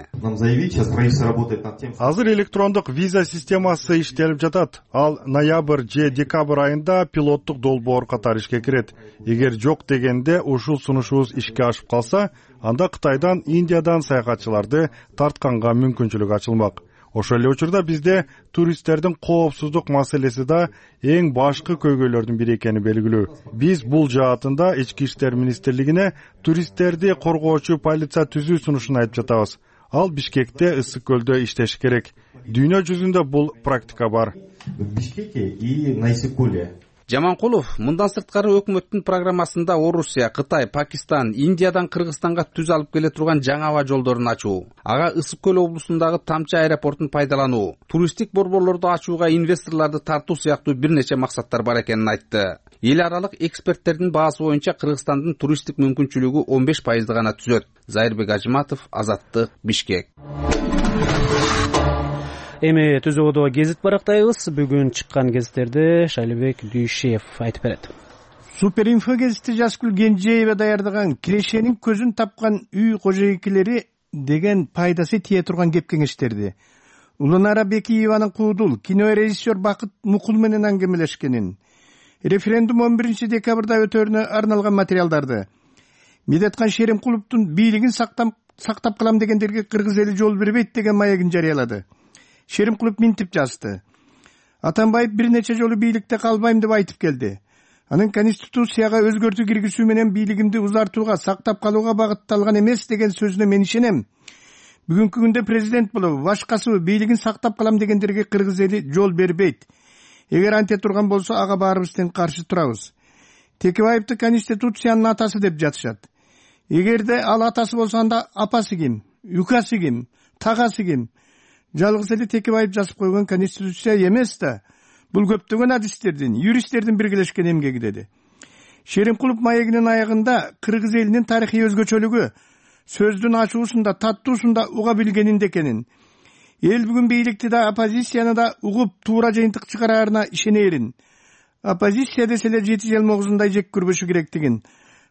Азыр электрондук виза системасы иштелип жатат. Ал ноябрь же декабрь айында пилоттук долбоор катары ишке кирет. Эгер жок дегенде ушул сунушубуз ишке ашып калса, анда Кытайдан, Индиядан саякатчыларды тартканга мүмкүнчүлүк ачылмак. Ошол эле учурда бизде туристтердин коопсуздук маселеси да эң башкы көйгөйлөрдүн бири экени белгилүү. Биз бул жаатында Ички иштер министрлигине туристтерди коргоочу полиция түзүү сунушун айтып жатабыз. Ал Бишкекте, Ысык көлдө иштеш керек. Дүйнө жүзүндө бул практика бар. Бишкекте и Найсыкуле. Жаманкулов мындан сырткары өкмөттүн программасында Орусия, Кытай, Пакистан, Индиядан Кыргызстанга түз алып келе турган жаңы аба жолдорун ачуу, ага Ысык көл облусундагы Тамчы аэропортун пайдалануу, туристтик борборлорду ачууга инвесторлорду тартуу сыяктуу бир нече максаттар бар экенин айтты. Эл аралык эксперттердин баасы боюнча Кыргызстандын туристтик мүмкүнчүлүгү он беш пайызды гана түзөт. Зайырбек Ажыматов, Азаттык, Бишкек. Эми Түзөбодо гезит барактайбыз. Бүгүн чыккан гезиттерди Шайлыбек Дүйшев айтып берет. Суперинфо гезити Жаскүл Кенжеева даярдаган кирешенин көзүн тапкан үй кожойкелери деген пайдасы тие турган кеп кеңештерди Уланара Бекиеванын Куудул кино режиссер Бакыт Мукул менен аңгемелешкенин, референдум он биринчи декабрда өтөрүнө арналган материалдарды, Медеткан Шеримкуловдун бийлигин сактап сактап калам дегендерге кыргыз эли жол бербейт деген маегин жарыялады. Шеримкулов минтип жазды. Атамбаев бир нече жолу бийликте калбайм деп айтып келди. Анын конституцияга өзгөртүү киргизүү менен бийлигимди узартууга, сактап калууга багытталган эмес деген сөзүнө мен ишенем. Бүгүнкү күндө президент болуп, башкасы бийлигин сактап калам дегендерге кыргыз эли жол бербейт. Эгер анте турган болсо, ага баарыбыз тең каршы турабыз. Текебаевди конституциянын атасы деп жатышат. Эгерде ал атасы болсо, анда апасы ким, юкасы ким, тагасы ким? Жалгыз эле Текебаев жазып койгон конституция эмес да. Бул көптөгөн адистердин, юристтердин биргелешкен эмгеги деди. Шеримкулов маегинин аягында кыргыз элинин тарыхый өзгөчөлүгү сөздүн ачуусунда, таттуусунда уга билгенинде экенин, эл бүгүн бийликти да, оппозицияны да угуп туура жыйынтык чыгараарына ишенерин, оппозиция десе эле жети жыл могузундай жек көрбөшү керектигин,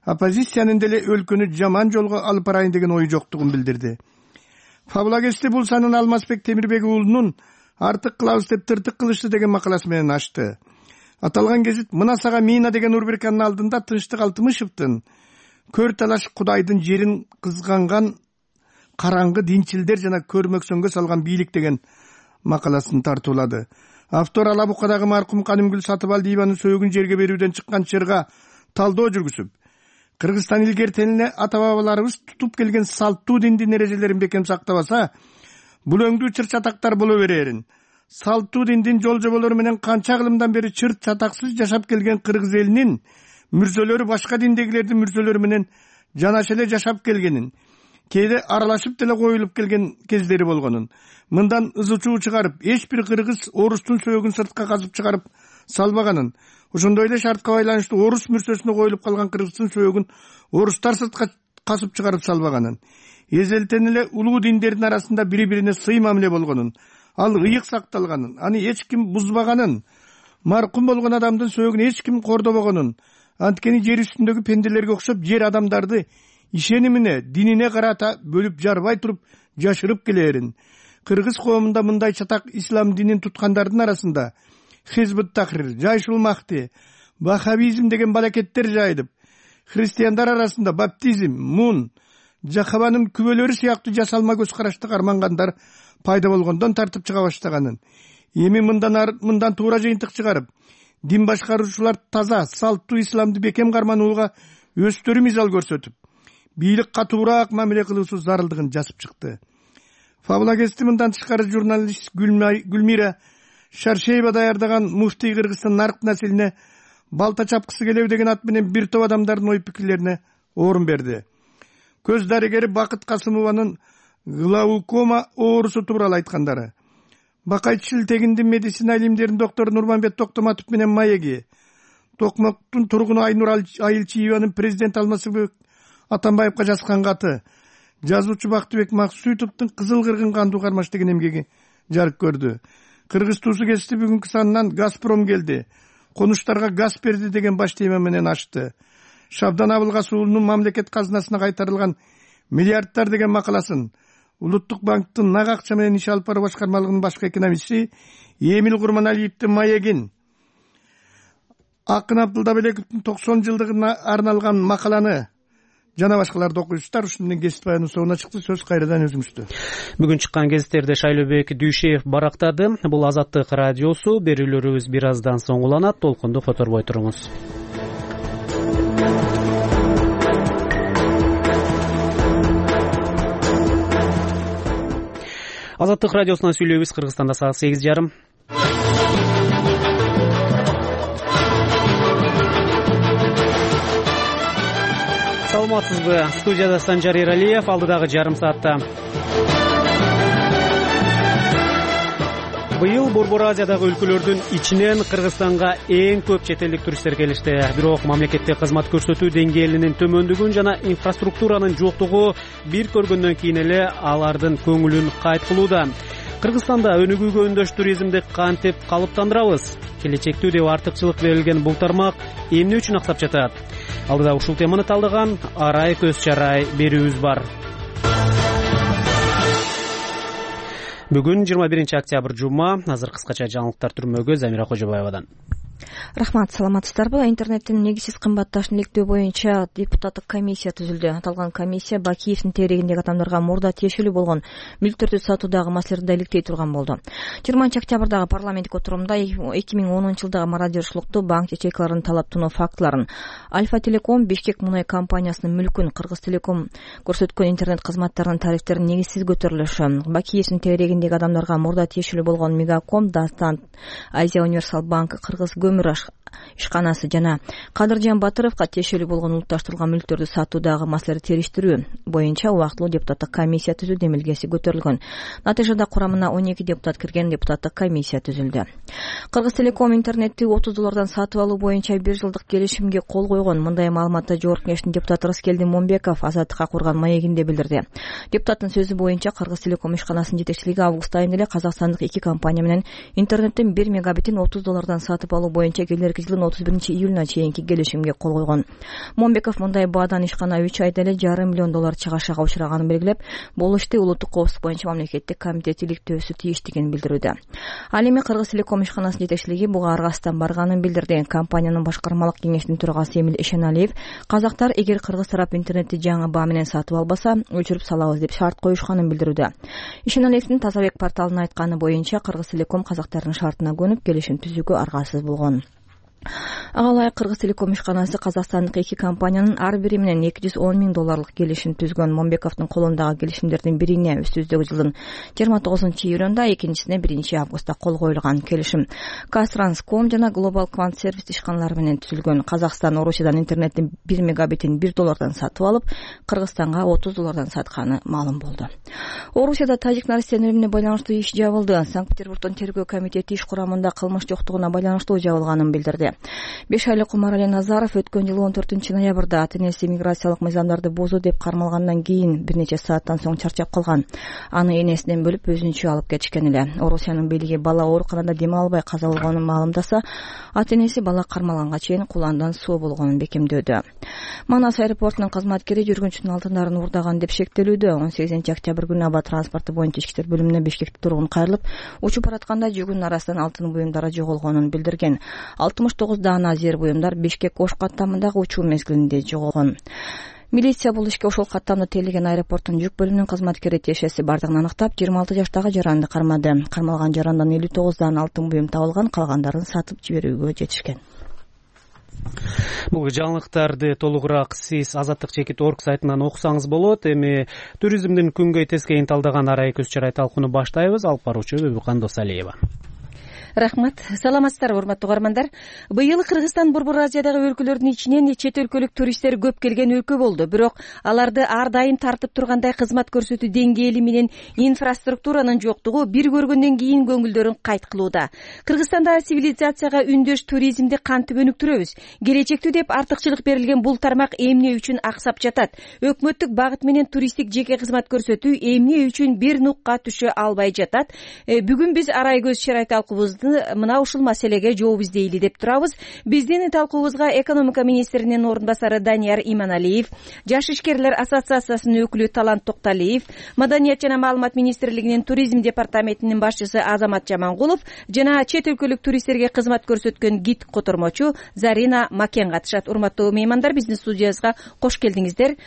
оппозициянын деле өлкөнү жаман жолго алып барайын деген ой жоктугун билдирди. Фабулагести бул санын Алмазбек Темирбек уулунун артык кылабыз деп тыртык кылышты деген макаласы менен ачты. Аталган гезит мына сага мина деген рубриканын алдында Тынчтык Алтымышевдин көр талаш Кудайдын жерин кызганган караңгы динчилдер жана көрмөксөнгө салган бийлик деген макаласын тартуулады. Автор Ала Букадагы маркум Канымгүл Сатыбалдиеванын сөөгүн жерге берүүдөн чыккан чырга талдоо жүргүзүп, Кыргызстан илгертенине ата бабаларыбыз тутуп келген салттуу диндин эрежелерин бекем сактабаса, бул өңдүү чыр чатактар боло берерин. Салттуу диндин жол жоболору менен канча кылымдан бери чыр чатаксыз жашап келген кыргыз элинин мүрзөлөрү башка диндегилердин мүрзөлөрү менен жанаша эле жашап келгенин, кээде аралашып деле коюлуп келген кездери болгонун, мындан ызы чуу чыгарып, эч бир кыргыз орустун сөөгүн сыртка казып чыгарып салбаганын, ошондой эле шартка байланыштуу орус мүрсөсүнө коюлуп калган кыргыздын сөөгүн орустар сыртка касып чыгарып салбаганын, эзелтен эле улуу диндердин арасында бири-бирине сый мамиле болгонун, ал ыйык сакталганын, аны эч ким бузбаганын, маркум болгон адамдын сөөгүн эч ким кордобогонун, анткени жер үстүндөгү пенделерге окшоп жер адамдарды ишенимине, динине карата бөлүп жарбай туруп жашырып келерин. Кыргыз коомунда мындай чатак ислам динин туткандардын арасында Хизбут Тахрир, Жайшул Махти, Ваххабизм деген балакеттер жайылып, христиандар арасында баптизм, мун, жахабанын күбөлөрү сыяктуу жасалма көз карашты кармангандар пайда болгондон тартып чыга баштаганын, эми мындан мындан туура жыйынтык чыгарып, дин башкаруучулар таза, салттуу исламды бекем карманууга өздөрү мисал көрсөтүп, бийлик катуураак мамиле кылуусу зарылдыгын жазып чыкты. Фабулагести мындан тышкары журналист Гүлмира Шаршеева даярдаган Муфтий Кыргызстан нарк населине балта чапкысы келеби деген ат менен бир топ адамдардын ой пикирлерине орун берди. Көз дарыгери Бакыт Касымованын глаукома оорусу тууралуу айткандары, Бакайчыл тегиндин медицина илимдеринин доктору Нурманбет Токтоматов менен маеги, Токмоктун тургуну Айнур Айылчиеванын президент Алмазбек Атамбаевга жазган каты, жазуучу Бактыбек Максутовдун Кызыл кыргын кандуу кармаш деген эмгеги жарык көрдү. Кыргыз туусу кести бүгүнкү санынан Газпром келди, конуштарга газ берди деген баш тема менен ачты. Шабдан Абылгас уулунун мамлекет казынасына кайтарылган миллиардтар деген макаласын Улуттук банктын нак акча менен иш алып баруу башкармалыгынын башкы экономисти Эмил Курманалиевдин маегин, Акын Абдылдабековдун токсон жылдыгына арналган макаланы жана башкаларды окуйсуздар. Ушундан кесип баянын соңуна чыкты. Сөз кайрадан өзүңүздө. Бүгүн чыккан гезиттерде Шайлообек Дүйшеев барактады. Бул Азаттык радиосу. Берүүлөрүбүз бир аздан соң уланат. Толкунду которбой туруңуз. Азаттык радиосунан сүйлөйбүз. Кыргызстанда саат сегиз жарым. Саламатсызбы? Студияда Санжар Эралиев. Алдыдагы жарым саатта быйыл Борбор Азиядагы өлкөлөрдүн ичинен Кыргызстанга эң көп чет элдик туристтер келишти. Бирок мамлекетте кызмат көрсөтүү деңгээлинин төмөндүгүн жана инфраструктуранын жоктугу бир көргөндөн кийин эле алардын көңүлүн кайткылууда. Кыргызстанда өнүгүүгө өндөш туризмди кантип калыптандырабыз? Келечектүү деп артыкчылык берилген бул тармак эмне үчүн аксап жатат? Алдыда ушул теманы талдаган арай көз чарай берүүбүз бар. Бүгүн жыйырма биринчи октябрь жума. Азыр кыскача жаңылыктар түрмөгө Замира Кожобаевадан. Рахмат, саламатсыздарбы? Интернеттин негизсиз кымбатташын иликтөө боюнча депутаттык комиссия түзүлдү. Аталган комиссия Бакиевдин тегерегиндеги адамдарга мурда тиешелүү болгон мүлктөрдү сатуудагы маселелерди иликтей турган болду. жыйырманчы октябрдагы парламенттик отурумда эки миң онунчу жылдагы мародерчиликту, банк ячейкаларын талап тоноо фактыларын, Альфа Телеком Бишкек мунай компаниясынын мүлкүн, Кыргыз Телеком көрсөткөн интернет кызматтарынын тарифтерин негизсиз көтөрүлүшү, Бакиевдин тегерегиндеги адамдарга мурда тиешелүү болгон Мегаком, Дастан, Азия Универсал банк, Кыргыз көмүр ишканасы жана Кадыржан Батыровго тиешелүү болгон улутташтырылган мүлктөрдү сатуудагы маселелерди териштирүү боюнча убактылуу депутаттык комиссия түзүү демилгеси көтөрүлгөн. Натыйжада курамына он эки депутат кирген депутаттык комиссия түзүлдү. Кыргыз Телеком интернетти отуз доллардан сатып алуу боюнча бир жылдык келишимге кол койгон. Мындай маалыматты Жогорку Кеңештин депутаты Рыскелди Момбеков Азаттыкка курган маегинде билдирди. Депутаттын сөзү боюнча Кыргыз Телеком ишканасынын жетекчилиги август айында эле казакстандык эки компания менен интернеттин бир мегабитин отуз доллардан сатып алуу боюнча келерки жылдын отуз биринчи июлуна чейинки келишимге кол койгон. Момбеков мындай баадан ишкана үч айда эле жарым миллион доллар чыгашага учраганын белгилеп, бул ишти улуттук коопсуздук боюнча мамлекеттик комитет иликтөөсү тийиштигин билдирүүдө. Ал эми Кыргыз Телеком ишканасынын жетекчилиги буга аргасыздан барганын билдирди. Компаниянын башкармалык кеңешинин төрагасы Эмил Эшеналиев казактар эгер кыргыз тарап интернетти жаңы баа менен сатып албаса, өчүрүп салабыз деп шарт коюшканын билдирүүдө. Эшеналиевдин Тазабек порталына айтканы боюнча Кыргыз Телеком казактардын шартына көнүп келишим түзүүгө аргасыз болгон. Ага ылайык Кыргыз Телеком ишканасы казакстандык эки компаниянын ар бири менен эки жүз он миң долларлык келишим түзгөн. Момбековдун колундагы келишимдердин бирине үстүбүздөгү жылдын жыйырма тогузунчу июлунда, экинчисине биринчи августта кол коюлган. Келишим Казтранском жана Global Quant сервис ишканалары менен түзүлгөн. Казакстан Орусиядан интернеттин бир мегабитин бир доллардан сатып алып, Кыргызстанга отуз доллардан сатканы маалым болду. Орусияда тажик наристенин өлүмүнө байланыштуу иш жабылды. Санкт-Петербургдун тергөө комитети иш курамында кылмыш жоктугуна байланыштуу жабылганын билдирди. беш айлык Умарали Назаров өткөн жылы он төртүнчү ноябрда ата-энеси миграциялык мыйзамдарды бузуу деп кармалгандан кийин бир нече сааттан соң чарчап калган. Аны энесинен бөлүп өзүнчө алып кетишкен эле. Орусиянын бийлиги бала ооруканада дем албай каза болгонун маалымдаса, ата-энеси бала кармалганга чейин куландан соо болгонун бекемдөөдө. Манас аэропортунун кызматкери жүргүнчүнүн алтындарын уурдаган деп шектелүүдө. он сегизинчи октябрь күнү аба транспорту боюнча ички иштер бөлүмүнө Бишкекте тургун кайрылып, учуп баратканда жүгүнүн арасынан алтын буюмдары жоголгонун билдирген. алтымыш тогуз даана зер буюмдар Бишкек Ош каттамындагы учуу мезгилинде жоголгон. Милиция бул ишке ошол каттамды тейлеген аэропорттун жүк бөлүмүнүн кызматкери тиешеси бардыгын аныктап, жыйырма алты жаштагы жаранды кармады. Кармалган жарандан элүү тогуз даана алтын буюм табылган, калгандарын сатып жиберүүгө жетишкен. Бул жаңылыктарды толугураак сиз Азаттык чекит точка орг сайтынан окусаңыз болот. Эми туризмдин күнгөй тескейин талдаган арай көз чарай талкууну баштайбыз. Алып баруучу Бөбүкан Досалиева. рахмат. Саламатсыздарбы, урматтуу угармандар? Быйыл Кыргызстан Борбор Азиядагы өлкөлөрдүн ичинен чет өлкөлүк туристтер көп келген өлкө болду. Бирок аларды ар дайым тартып тургандай кызмат көрсөтүү деңгээли менен инфраструктуранын жоктугу бир көргөндөн кийин көңүлдөрүн кайт кылууда. Кыргызстанда цивилизацияга үндөш туризмди кантип өнүктүрөбүз? Келечектүү деп артыкчылык берилген бул тармак эмне үчүн аксап жатат? Өкмөттүк багыт менен туристтик жеке кызмат көрсөтүү эмне үчүн бир нукка түшө албай жатат? Бүгүн биз Арайкөз Шерай талкуубузду мына ушул маселеге жооп издейли деп турабыз. Биздин талкуубузга экономика министринин орун басары Данияр Иманалиев, Жаш ишкерлер ассоциациясынын өкүлү Талант Токталиев, Маданият жана маалымат министрлигинин туризм департаментинин башчысы Азамат Жамангулов жана чет өлкөлүк туристтерге кызмат көрсөткөн гид котормочу Зарина Макен катышат. Урматтуу меймандар, биздин студиябызга кош келдиңиздер.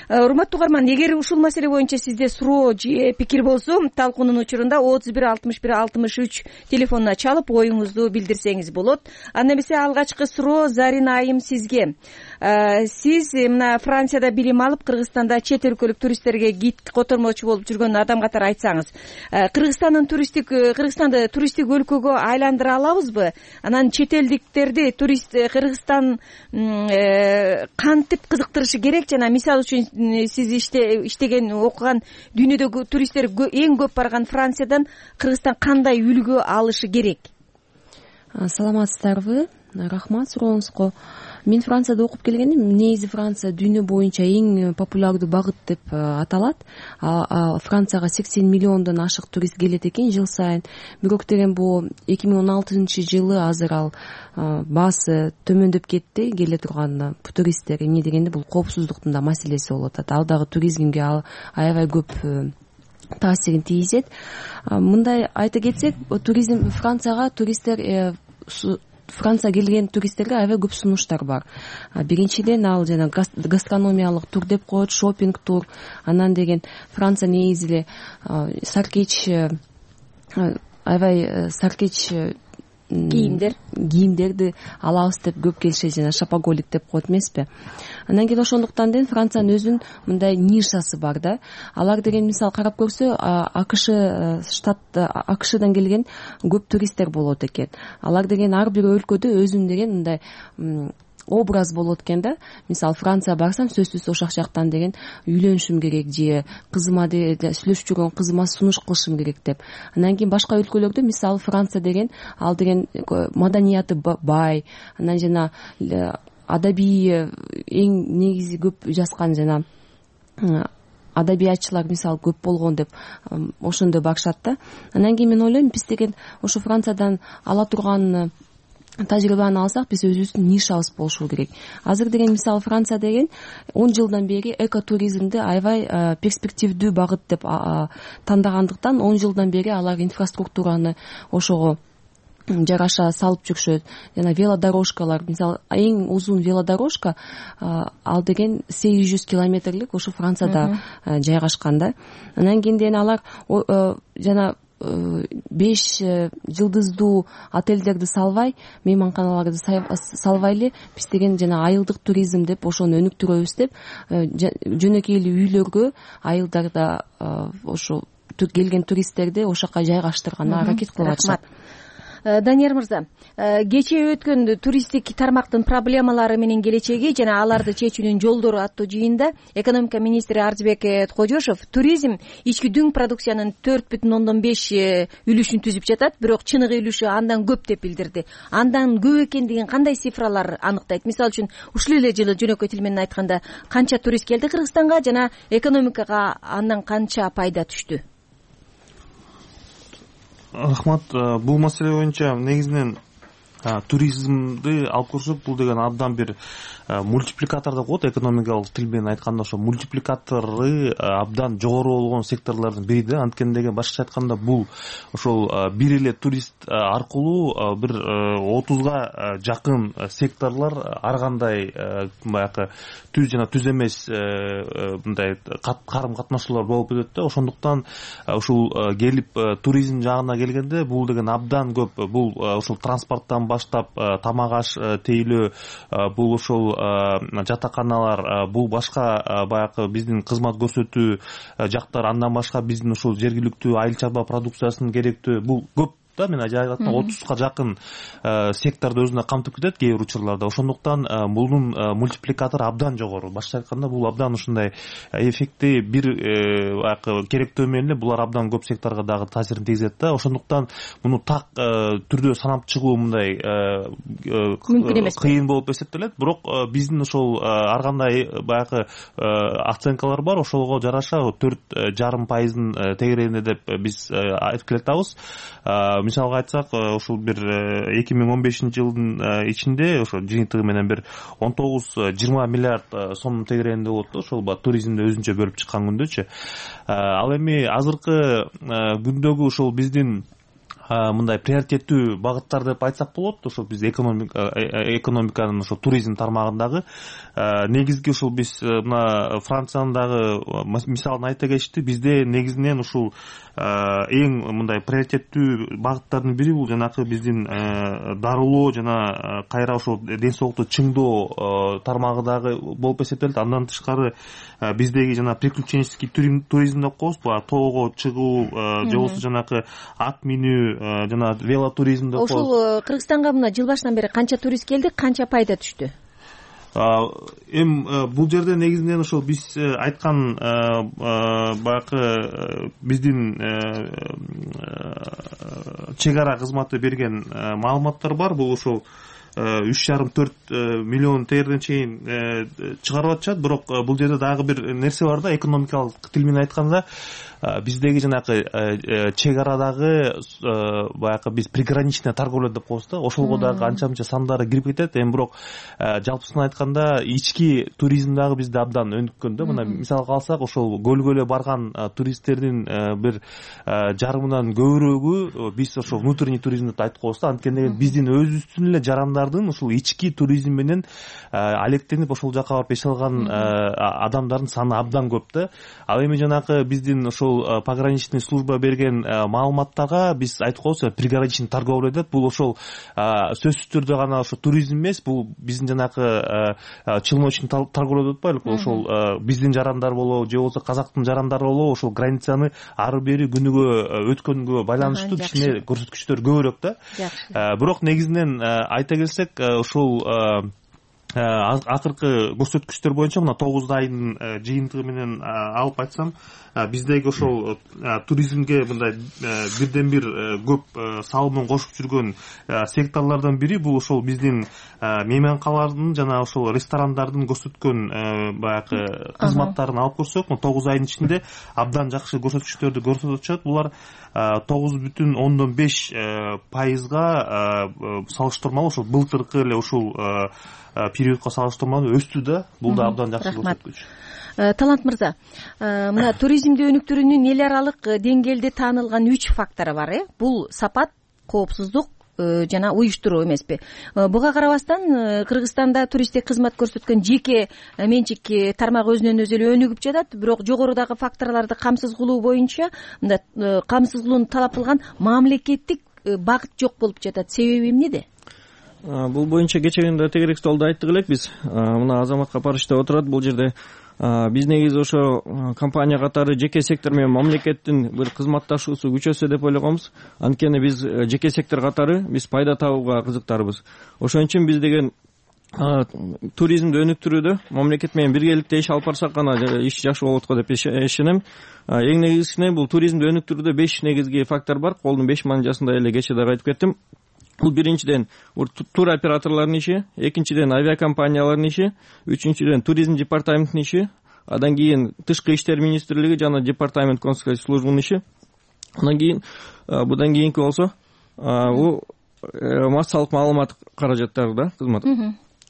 Урматтуу угарман, эгер ушул маселе боюнча сизде суроо же пикир болсо, талкуунун учурунда отуз бир алтымыш бир алтымыш үч телефонуна чалып оюңузду билдирсеңиз болот. Анда эмесе алгачкы суроо Зарина айым сизге. Сиз мына Францияда билим алып, Кыргызстанда чет өлкөлүк туристтерге гид котормочу болуп жүргөн адам катары айтсаңыз, Кыргызстандын туристтик Кыргызстанды туристтик өлкөгө айландыра алабызбы? Анан чет элдиктерди турист Кыргызстан кантип кызыктырышы керек? Жана мисалы үчүн сиз иштеген, окуган дүйнөдөгү туристтер эң көп барган Франциядан Кыргызстан кандай үлгү алышы керек? Саламатсыздарбы? Рахмат сурооңузга. Мен Францияда окуп келгенмин. Негизи Франция дүйнө боюнча эң популярдуу багыт деп аталат. Францияга сексен миллиондон ашык турист келет экен жыл сайын. Бирок деген бул эки миң он алтынчы жылы азыр ал баасы төмөндөп кетти. Келе турган туристтер эмне дегенде бул коопсуздуктун да маселеси болуп атат. Ал дагы туризмге аябай көп таасирин тийгизет. Мындай айта кетсек, туризм Францияга туристтер Франция келген туристтерге аябай көп сунуштар бар. Биринчиден ал жана гастрономиялык тур деп коет, шопинг тур. Анан деген Франция негизи эле саркеч аябай саркеч кийимдер кийимдерди алабыз деп көп келишет, жана шопоголик деп коет эмеспи. Анан кийин ошондуктан деген Франциянын өзүнүн мындай нишасы бар да. Алар деген мисалы карап көрсө, АКШ штат АКШдан келген көп туристтер болот экен. Алар деген ар бир өлкөдө өзүнүн деген мындай образ болот экен да. Мисалы Франция барсам, сөзсүз ошол жактан деген үйлөнүшүм керек же кызыма сүйлөшүп жүргөн кызыма сунуш кылышым керек деп. Анан кийин башка өлкөлөрдө мисалы Франция деген ал деген маданияты бай, анан жана адабий эң негизи көп жазган жана адабиятчылар мисалы көп болгон деп ошондой барышат да. Анан кийин мен ойлойм, биз деген ошо Франциядан ала турган тажрыйбаны алсак, биз өзүбүздүн нишабыз болушу керек. Азыр деген мисалы Франция деген он жылдан бери экотуризмди аябай перспективдүү багыт деп тандагандыктан он жылдан бери алар инфраструктураны ошого жараша салып жүрүшөт. Жана велодорожкалар, мисалы эң узун велодорожка ал деген сегиз жүз километрлик ошо Францияда жайгашкан да. Анан кийин деген алар жана беш жылдыздуу отелдерди салбай, мейманканаларды салбай эле биз деген жана айылдык туризм деп ошону өнүктүрөбүз деп жөнөкөй эле үйлөргө айылдарда ошо келген туристтерди ошол жака жайгаштырганга аракет кылып атышат. Данияр мырза, кечээ өткөн туристтик тармактын проблемалары менен келечеги жана аларды чечүүнүн жолдору аттуу жыйында экономика министри Арзбек Кожошов туризм ички дүң продукциянын төрт бүтүн ондон беш үлүшүн түзүп жатат, бирок чыныгы үлүшү андан көп деп билдирди. Андан көп экендигин кандай цифралар аныктайт? Мисалы үчүн ушул эле жылы жөнөкөй тил менен айтканда канча турист келди Кыргызстанга жана экономикага андан канча пайда түштү? Рахмат. Бул маселе боюнча негизинен туризмди алып көрсөк, бул деген абдан бир мультипликатор деп коет, экономикалык тил менен айтканда ошо мультипликатору абдан жогору болгон секторлордун бири да. Анткени деген башкача айтканда бул ошол бир эле турист аркылуу бир отузга жакын секторлор ар кандай баягы түз жана түз эмес мындай карым катнашуулар болуп кетет да. Ошондуктан ушул келип туризм жагына келгенде бул деген абдан көп. Бул ушул транспорттон баштап тамак аш тейлөө, бул ошол жатаканалар, бул башка баягы биздин кызмат көрсөтүү жактар, андан башка биздин ушул жергиликтүү айыл чарба продукциясынын керектүү, бул көп да, мен айта атканда отузга жакын секторду өзүнө камтып кетет кээ бир учурларда. Ошондуктан бунун мультипликатору абдан жогору. Башкача айтканда бул абдан ушундай эффекти бир баягы керектөө менен эле булар абдан көп секторго дагы таасирин тийгизет да. Ошондуктан муну так түрдө санап чыгуу мындай мүмкүн эмес, кыйын болуп эсептелет. Бирок биздин ошол ар кандай баягы оценкалар бар, ошолго жараша төрт жарым пайыздын тегерегинде деп биз айтып келатабыз. Мисалга айтсак, ушул бир эки миң он бешинчи жылдын ичинде ошо жыйынтыгы менен бир он тогуз жыйырма миллиард сомдун тегерегинде болот да, ошол туризмди өзүнчө бөлүп чыккан күндөчү. Ал эми азыркы күндөгү ушул биздин мындай приоритеттүү багыттар деп айтсак болот. Ошол биз экономиканын ошо туризм тармагындагы негизги ушул биз мына Франциянын дагы мисалын айта кетишти. Бизде негизинен ушул эң мындай приоритеттүү багыттардын бири бул жанакы биздин дарылоо жана кайра ошол ден соолукту чыңдоо тармагы дагы болуп эсептелет. Андан тышкары биздеги жана приключенческий туризм деп коебуз, баягы тоого чыгуу же болбосо жанакы ат минүү жана велотуризм деп коебуз. Ошол Кыргызстанга мына жыл башынан бери канча турист келди, канча пайда түштү? Эми бул жерде негизинен ошол биз айткан баягы биздин чек ара кызматы берген маалыматтар бар. Бул ошол үч жарым төрт миллион тегерден чейин чыгарып атышат. Бирок бул жерде дагы бир нерсе бар да, экономикалык тил менен айтканда биздеги жанакы чек арадагы баягы биз приграничный торговля деп коебуз да, ошолго дагы анча мынча сандары кирип кетет. Эми бирок жалпысынан айтканда ички туризм дагы бизде абдан өнүккөн да. Мына мисалга алсак, ошол көлгө эле барган туристтердин бир жарымынан көбүрөгү биз ошол внутренний туризм деп айтып коебуз да. Анткени биздин өзүбүздүн эле жарандардын ушул ички туризм менен алектенип ошол жака барып эс алган адамдардын саны абдан көп да. Ал эми жанакы биздин ошол пограничный служба берген маалыматтарга биз айтып коебуз, приграничный торговля деп. Бул ошол сөзсүз түрдө гана ошо туризм эмес, бул биздин жанакы челночный торговля деп атпайлыкпы, ошол биздин жарандар болобу же болбосо казактын жарандары болобу ошол границаны ары бери күнүгө өткөнгө байланыштуу кичине көрсөткүчтөр көбүрөөк да. Бирок негизинен айта келсек, ошол акыркы көрсөткүчтөр боюнча мына тогуз айдын жыйынтыгы менен алып айтсам, биздеги ошол туризмге мындай бирден бир көп салымын кошуп жүргөн секторлордон бири бул ошол биздин мейманкалардын жана ошол ресторандардын көрсөткөн баягы кызматтарын алып көрсөк, тогуз айдын ичинде абдан жакшы көрсөткүчтөрдү көрсөтүп атышат. Булар тогуз бүтүн ондон беш пайызга салыштырмалуу ошол былтыркы эле ушул периодко салыштырмалуу өстү да. Бул да абдан жакшы көрсөткүч. Талант мырза, мына туризмди өнүктүрүүнүн эл аралык деңгээлде таанылган үч фактору бар, э? Бул сапат, коопсуздук жана уюштуруу эмеспи? Буга карабастан Кыргызстанда туристтик кызмат көрсөткөн жеке менчик тармак өзүнөн өзү эле өнүгүп жатат. Бирок жогорудагы факторлорду камсыз кылуу боюнча мында камсыз кылууну талап кылган мамлекеттик багыт жок болуп жатат. Себеби эмнеде? Бул боюнча кечээ күндө тегерек столдо айттык элек биз. Мына Азамат Капарыч деп отурат. Бул жерде биз негизи ошо компания катары жеке сектор менен мамлекеттин бир кызматташуусу күчөсө деп ойлогонбуз. Анткени биз жеке сектор катары биз пайда табууга кызыктарбыз. Ошон үчүн биз деген туризмди өнүктүрүүдө мамлекет менен биргеликте иш алып барсак гана иш жакшы болот го деп ишенем. Эң негизгиси бул туризмди өнүктүрүүдө беш негизги фактор бар. Колдун беш манжасында эле кечээ дагы айтып кеттим. Бул биринчиден тур операторлордун иши, экинчиден авиакомпаниялардын иши, үчүнчүдөн туризм департаментинин иши, андан кийин тышкы иштер министрлиги жана департамент консулский службанын иши. Андан кийин будан кийинки болсо бул массалык маалымат каражаттары да, кызмат.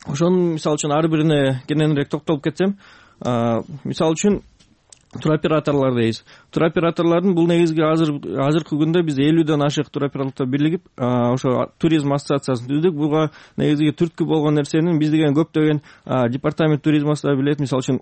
Ошонун мисалы үчүн ар бирине кененирээк токтолуп кетсем, мисалы үчүн туроператорлор дейбиз. Туроператорлордун бул негизги азыр азыркы күндө биз элүүдөн ашык туроператорлор бирлигип ошо туризм ассоциациясын түздүк. Буга негизги түрткү болгон нерсенин биз деген көптөгөн департамент туризмасында билет. Мисалы үчүн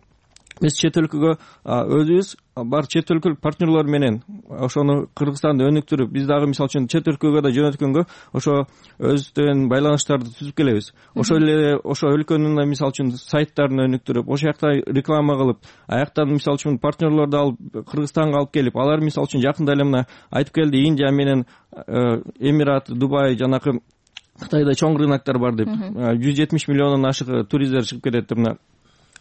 биз чет өлкөгө өзүбүз бар чет өлкөлүк партнерлор менен ошону Кыргызстанды өнүктүрүп биз дагы мисалы үчүн чет өлкөгө да жөнөткөнгө ошо өзүбүздөн байланыштарды түзүп келебиз. Ошол эле ошо өлкөнүн мисалы үчүн сайттарын өнүктүрүп, ошол жакта реклама кылып, аяктан мисалы үчүн партнерлорду алып Кыргызстанга алып келип, алар мисалы үчүн жакында эле мына айтып келди, Индия менен Эмират, Дубай, жанакы Кытайда чоң рыноктор бар деп, жүз жетимиш миллиондон ашык туристтер чыгып кетет деп. Мына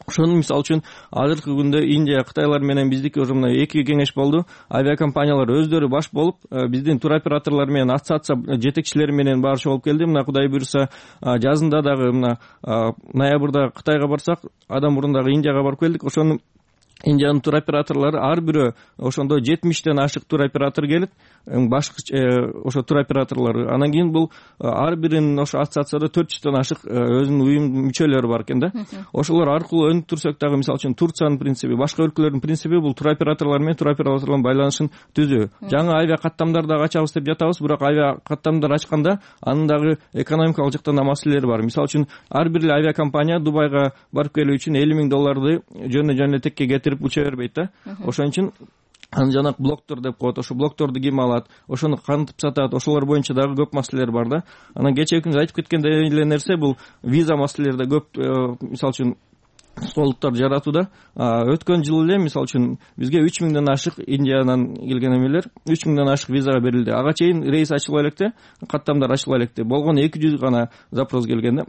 ошону мисалы үчүн азыркы күндө Индия, Кытайлар менен биздики уже мына эки кеңеш болду. Авиакомпаниялар өздөрү баш болуп, биздин туроператорлор менен ассоциация жетекчилери менен баары чогулуп келди. Мына Кудай буйруса жазында дагы мына ноябрда Кытайга барсак, адам мурун дагы Индияга барып келдик. Ошону Индиянын туроператорлору ар бирөө ошондо жетимиштен ашык туроператор келет, башкы ошо туроператорлор. Анан кийин бул ар биринин ошо ассоциацияда төрт жүздөн ашык өзүнүн уюм мүчөлөрү бар экен да. Ошолор аркылуу өнүктүрсөк дагы, мисалы үчүн Турциянын принципи, башка өлкөлөрдүн принципи бул туроператорлор менен туроператорлордун байланышын түзүү. Жаңы авиа каттамдар дагы ачабыз деп жатабыз, бирок авиа каттамдар ачканда анын дагы экономикалык жактан да маселелери бар. Мисалы үчүн ар бир авиакомпания Дубайга барып келүү үчүн элүү миң долларды жөнө-жөнө текке кетирип уча бербейт да. Ошон үчүн аны жанагы блоктор деп коет. Ошо блокторду ким алат, ошону кантип сатат, ошолор боюнча дагы көп маселелер бар да. Анан кечээ күнү айтып кеткендей эле нерсе бул виза маселелери да көп, мисалы үчүн столуктар жаратууда. Өткөн жылы эле мисалы үчүн бизге үч миңден ашык Индиядан келген эмелер үч миңден ашык визага берилди. Ага чейин рейс ачыла электе, каттамдар ачыла электе. Болгону эки жүз гана запрос келген да.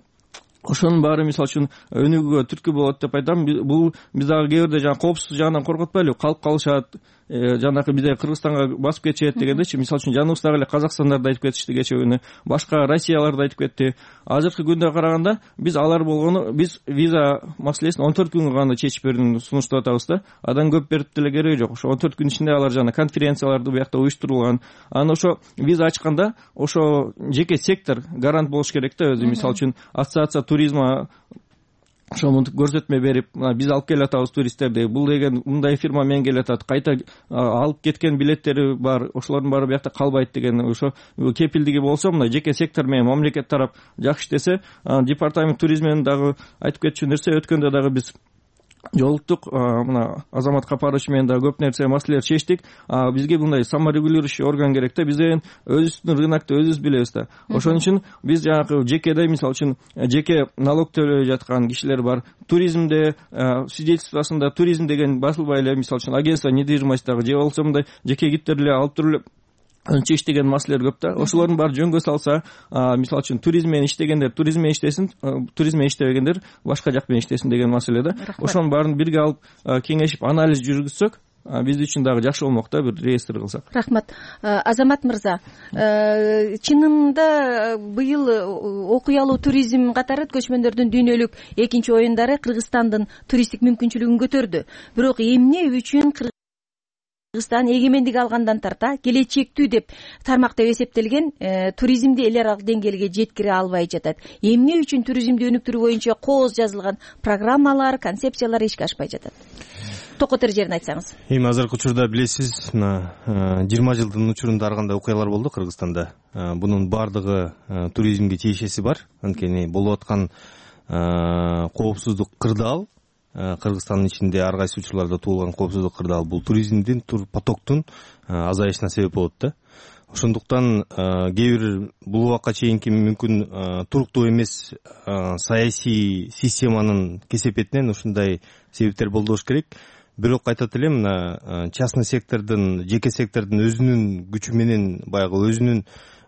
Ошонун баары мисалы үчүн өнүгүүгө түрткү болот деп айтам. Бул биз дагы кээ бирде жана коопсуздук жагынан коркотпайлы, калып калышат, жанакы бизде Кыргызстанга басып кетишет дегендечи. Мисалы үчүн жаныбыздагы эле Казакстандарды айтып кетишти кечээ күнү, башка Россияларды айтып кетти. Азыркы күндө караганда биз алар болгону, биз виза маселесин он төрт күнгө гана чечип берүүнү сунуштап атабыз да. Адан көп берип деле кереги жок. Ошо он төрт күн ичинде алар жана конференцияларды буякта уюштурулган. Анан ошо виза ачканда ошо жеке сектор гарант болуш керек да өзү. Мисалы үчүн ассоциация туризма ошо мынтип көрсөтмө берип, биз алып келатабыз туристтерди, бул деген мындай фирма менен келатат, кайта алып кеткен билеттери бар, ошолордун баары буякта калбайт деген ошо кепилдиги болсо, мына жеке сектор менен мамлекет тарап жакшы иштесе, департамент туризмин дагы айтып кетчү нерсе, өткөндө дагы биз жолуктук, мына Азамат Капарович менен да көп нерсе маселелер чечтик. Бизге мындай саморегулирующий орган керек да, биз деген өзүбүздүн рынокту өзүбүз билебиз да. Ошон үчүн биз жанагы жекеде, мисалы үчүн жеке налог төлөй жаткан кишилер бар. Туризмде свидетельствосунда туризм деген басылбай эле, мисалы үчүн агентство недвижимостьтагы же болбосо мындай жеке киптер эле алып туруп эле чечтеген маселелер көп да. Ошолордун баары жөнгө салса, мисалы үчүн туризм менен иштегендер туризм менен иштесин, туризм менен иштебегендер башка жак менен иштесин деген маселе да. Ошонун баарын бирге алып кеңешип анализ жүргүзсөк, биз үчүн дагы жакшы болмок да, бир реестр кылсак. Рахмат. Азамат мырза, чынында быйыл окуялуу туризм катары көчмөндөрдүн дүйнөлүк экинчи оюндары Кыргызстандын туристтик мүмкүнчүлүгүн көтөрдү. Бирок эмне үчүн Кыргызстан эгемендик алгандан тарта келечектүү деп тармак деп эсептелген туризмди эл аралык деңгээлге жеткире албай жатат? Эмне үчүн туризмди өнүктүрүү боюнча кооз жазылган программалар, концепциялар ишке ашпай жатат? Токотор жерин айтсаңыз. Эми азыркы учурда билесиз, мына жыйырма жылдын учурунда ар кандай окуялар болду Кыргызстанда. Бунун баардыгы туризмге тиешеси бар. Анткени болуп аткан коопсуздук кырдаал, Кыргызстандын ичинде ар кайсы учурларда туулган коопсуздук кырдаал бул туризмдин, тур потоктун азайышына себеп болот да. Ошондуктан кээ бир бул убакка чейинки мүмкүн туруктуу эмес саясий системанын кесепетинен ушундай себептер болду болуш керек. Бирок айтат элем, мына частный сектордун, жеке сектордун өзүнүн күчү менен, баягы өзүнүн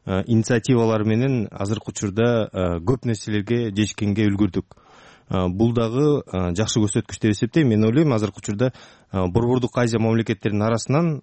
инициативалары менен азыркы учурда көп нерселерге жетишкенге үлгүрдүк. Бул дагы жакшы көрсөткүч деп эсептейм. Мен ойлойм, азыркы учурда Борбордук Азия мамлекеттеринин арасынан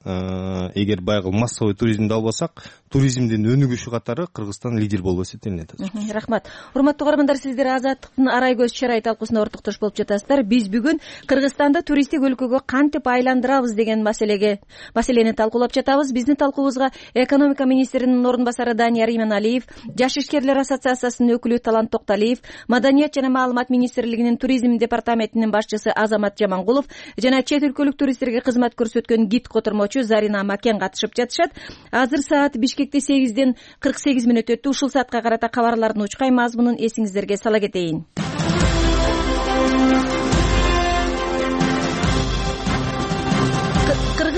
эгер баягы массовый туризмди албасак, туризмдин өнүгүшү катары Кыргызстан лидер болуп эсептелинет. Рахмат. Урматтуу көрөрмандар, сиздер Азаттыктын арай көз чарай талкуусуна ортоктош болуп жатасыздар. Биз бүгүн Кыргызстанды туристтик өлкөгө кантип айландырабыз деген маселеге маселени талкуулап жатабыз. Биздин талкуубузга экономика министринин орун басары Данияр Иманалиев, Жаш ишкерлер ассоциациясынын өкүлү Талант Токталиев, Маданият жана маалымат министрлигинин туризм департаментинин башчысы Азамат Жамангулов жана чет өлкөлүк туристтерге кызмат көрсөткөн гид котормочу Зарина Макен катышып жатышат. Азыр саат Бишкекте сегизден кырк сегиз мүнөт өттү. Ушул саатка карата кабарлардын учкай мазмунун эсиңиздерге сала кетейин.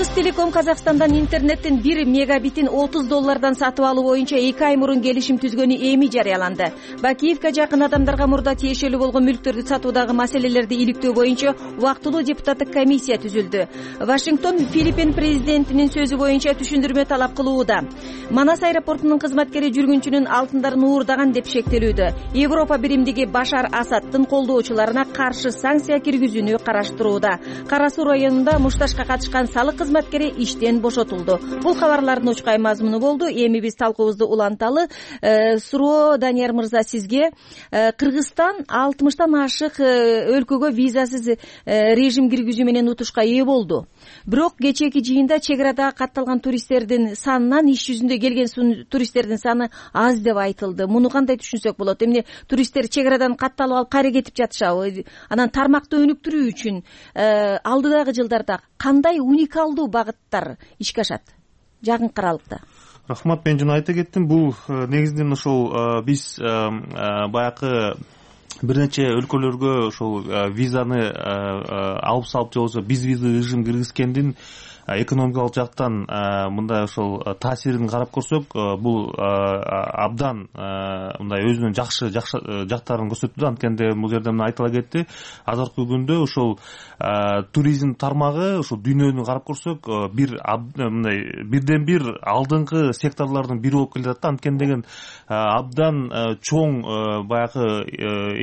Кыргызтелеком Казакстандан интернеттин бир мегабитин отуз доллардан сатып алуу боюнча эки ай мурун келишим түзгөнү эми жарыяланды. Бакиевке жакын адамдарга мурда тиешелүү болгон мүлктөрдү сатуудагы маселелерди иликтөө боюнча убактылуу депутаттык комиссия түзүлдү. Вашингтон Филиппин президентинин сөзү боюнча түшүндүрмө талап кылууда. Манас аэропортунун кызматкери жүргүнчүнүн алтындарын уурдаган деп шектелүүдө. Европа биримдиги Башар Асаддын колдоочуларына каршы санкция киргизүүнү караштырууда. Кара Суу районунда мушташка катышкан салык кызматкери иштен бошотулду. Бул кабарлардын учкай мазмуну болду. Эми биз талкуубузду уланталы. Суроо Данияр мырза сизге. Кыргызстан алтымыштан ашык өлкөгө визасыз режим киргизүү менен утушка ээ болду. Бирок кечээки жыйында чек арада катталган туристтердин санынан иш жүзүндө келген туристтердин саны аз деп айтылды. Муну кандай түшүнсөк болот? Эмне туристтер чек арадан катталып алып кайра кетип жатышабы? Анан тармакты өнүктүрүү үчүн алдыдагы жылдарда кандай уникалдуу багыттар ишке ашат жакынкы аралыкта? Рахмат, мен жана айта кеттим. Бул негизинен ошол биз баягы бир нече өлкөлөргө ошол визаны алып салып же болбосо безвиза режим киргизгендин экономикалык жактан мындай ошол таасирин карап көрсөк, бул абдан мындай өзүнүн жакшы жактарын көрсөттү. Анткенде бул жерде мына айтыла кетти. Азыркы күндө ошол туризм тармагы ошол дүйнөнү карап көрсөк, бир мындай бирден бир алдыңкы секторлордун бири болуп келе жатат. Анткенде абдан чоң баягы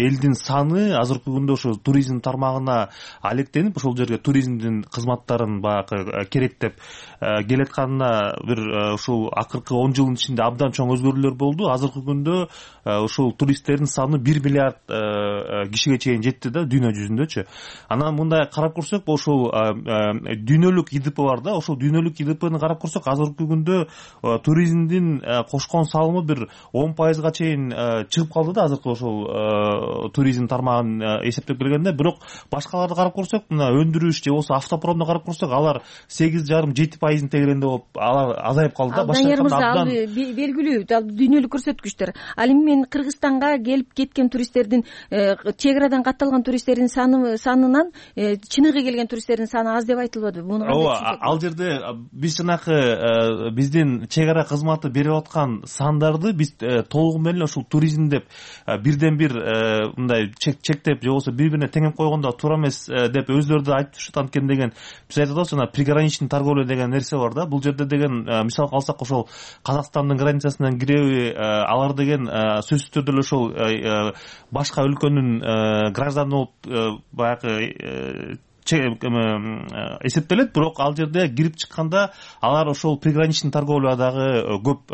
элдин саны азыркы күндө ошол туризм тармагына алектенип, ошол жерге туризмдин кызматтарын баягы керек деп келатканына бир ушул акыркы он жылдын ичинде абдан чоң өзгөрүүлөр болду. Азыркы күндө ушул туристтердин саны бир миллиард кишиге чейин жетти да дүйнө жүзүндөчү. Анан мындай карап көрсөк, ошол дүйнөлүк И Д П бар да, ошол дүйнөлүк И Д Пны карап көрсөк, азыркы күндө туризмдин кошкон салымы бир он пайызга чейин чыгып калды да, азыркы ошол туризм тармагын эсептеп келгенде. Бирок башкаларды карап көрсөк, мына өндүрүш же болбосо автопромду карап көрсөк, алар сегиз жарым жети пайыздын тегерегинде болуп алар азайып калды да. Данияр мырза, ал белгилүү дүйнөлүк көрсөткүчтөр. Ал эми мен Кыргызстанга келип кеткен туристтердин, чек арадан катталган туристтердин санынан чыныгы келген туристтердин саны аз деп айтылбадыбы? Муну кандай түшүнсөк? Ал жерде биз жанакы биздин чек ара кызматы берип аткан сандарды биз толугу менен ушул туризм деп бирден бир мындай чектеп же болбосо бири бирине теңеп койгондо туура эмес деп өздөрү да айтып турушат. Анткени деген биз айтып атабыз, жана приграничный торговля деген нерсе бар да. Бул жерде деген мисалга алсак, ошол Казакстандын границасынан киреби, алар деген сөзсүз түрдө эле ошол башка өлкөнүн гражданы болуп баягы эсептелет. Бирок ал жерде кирип чыкканда алар ошол приграничный торговлядагы көп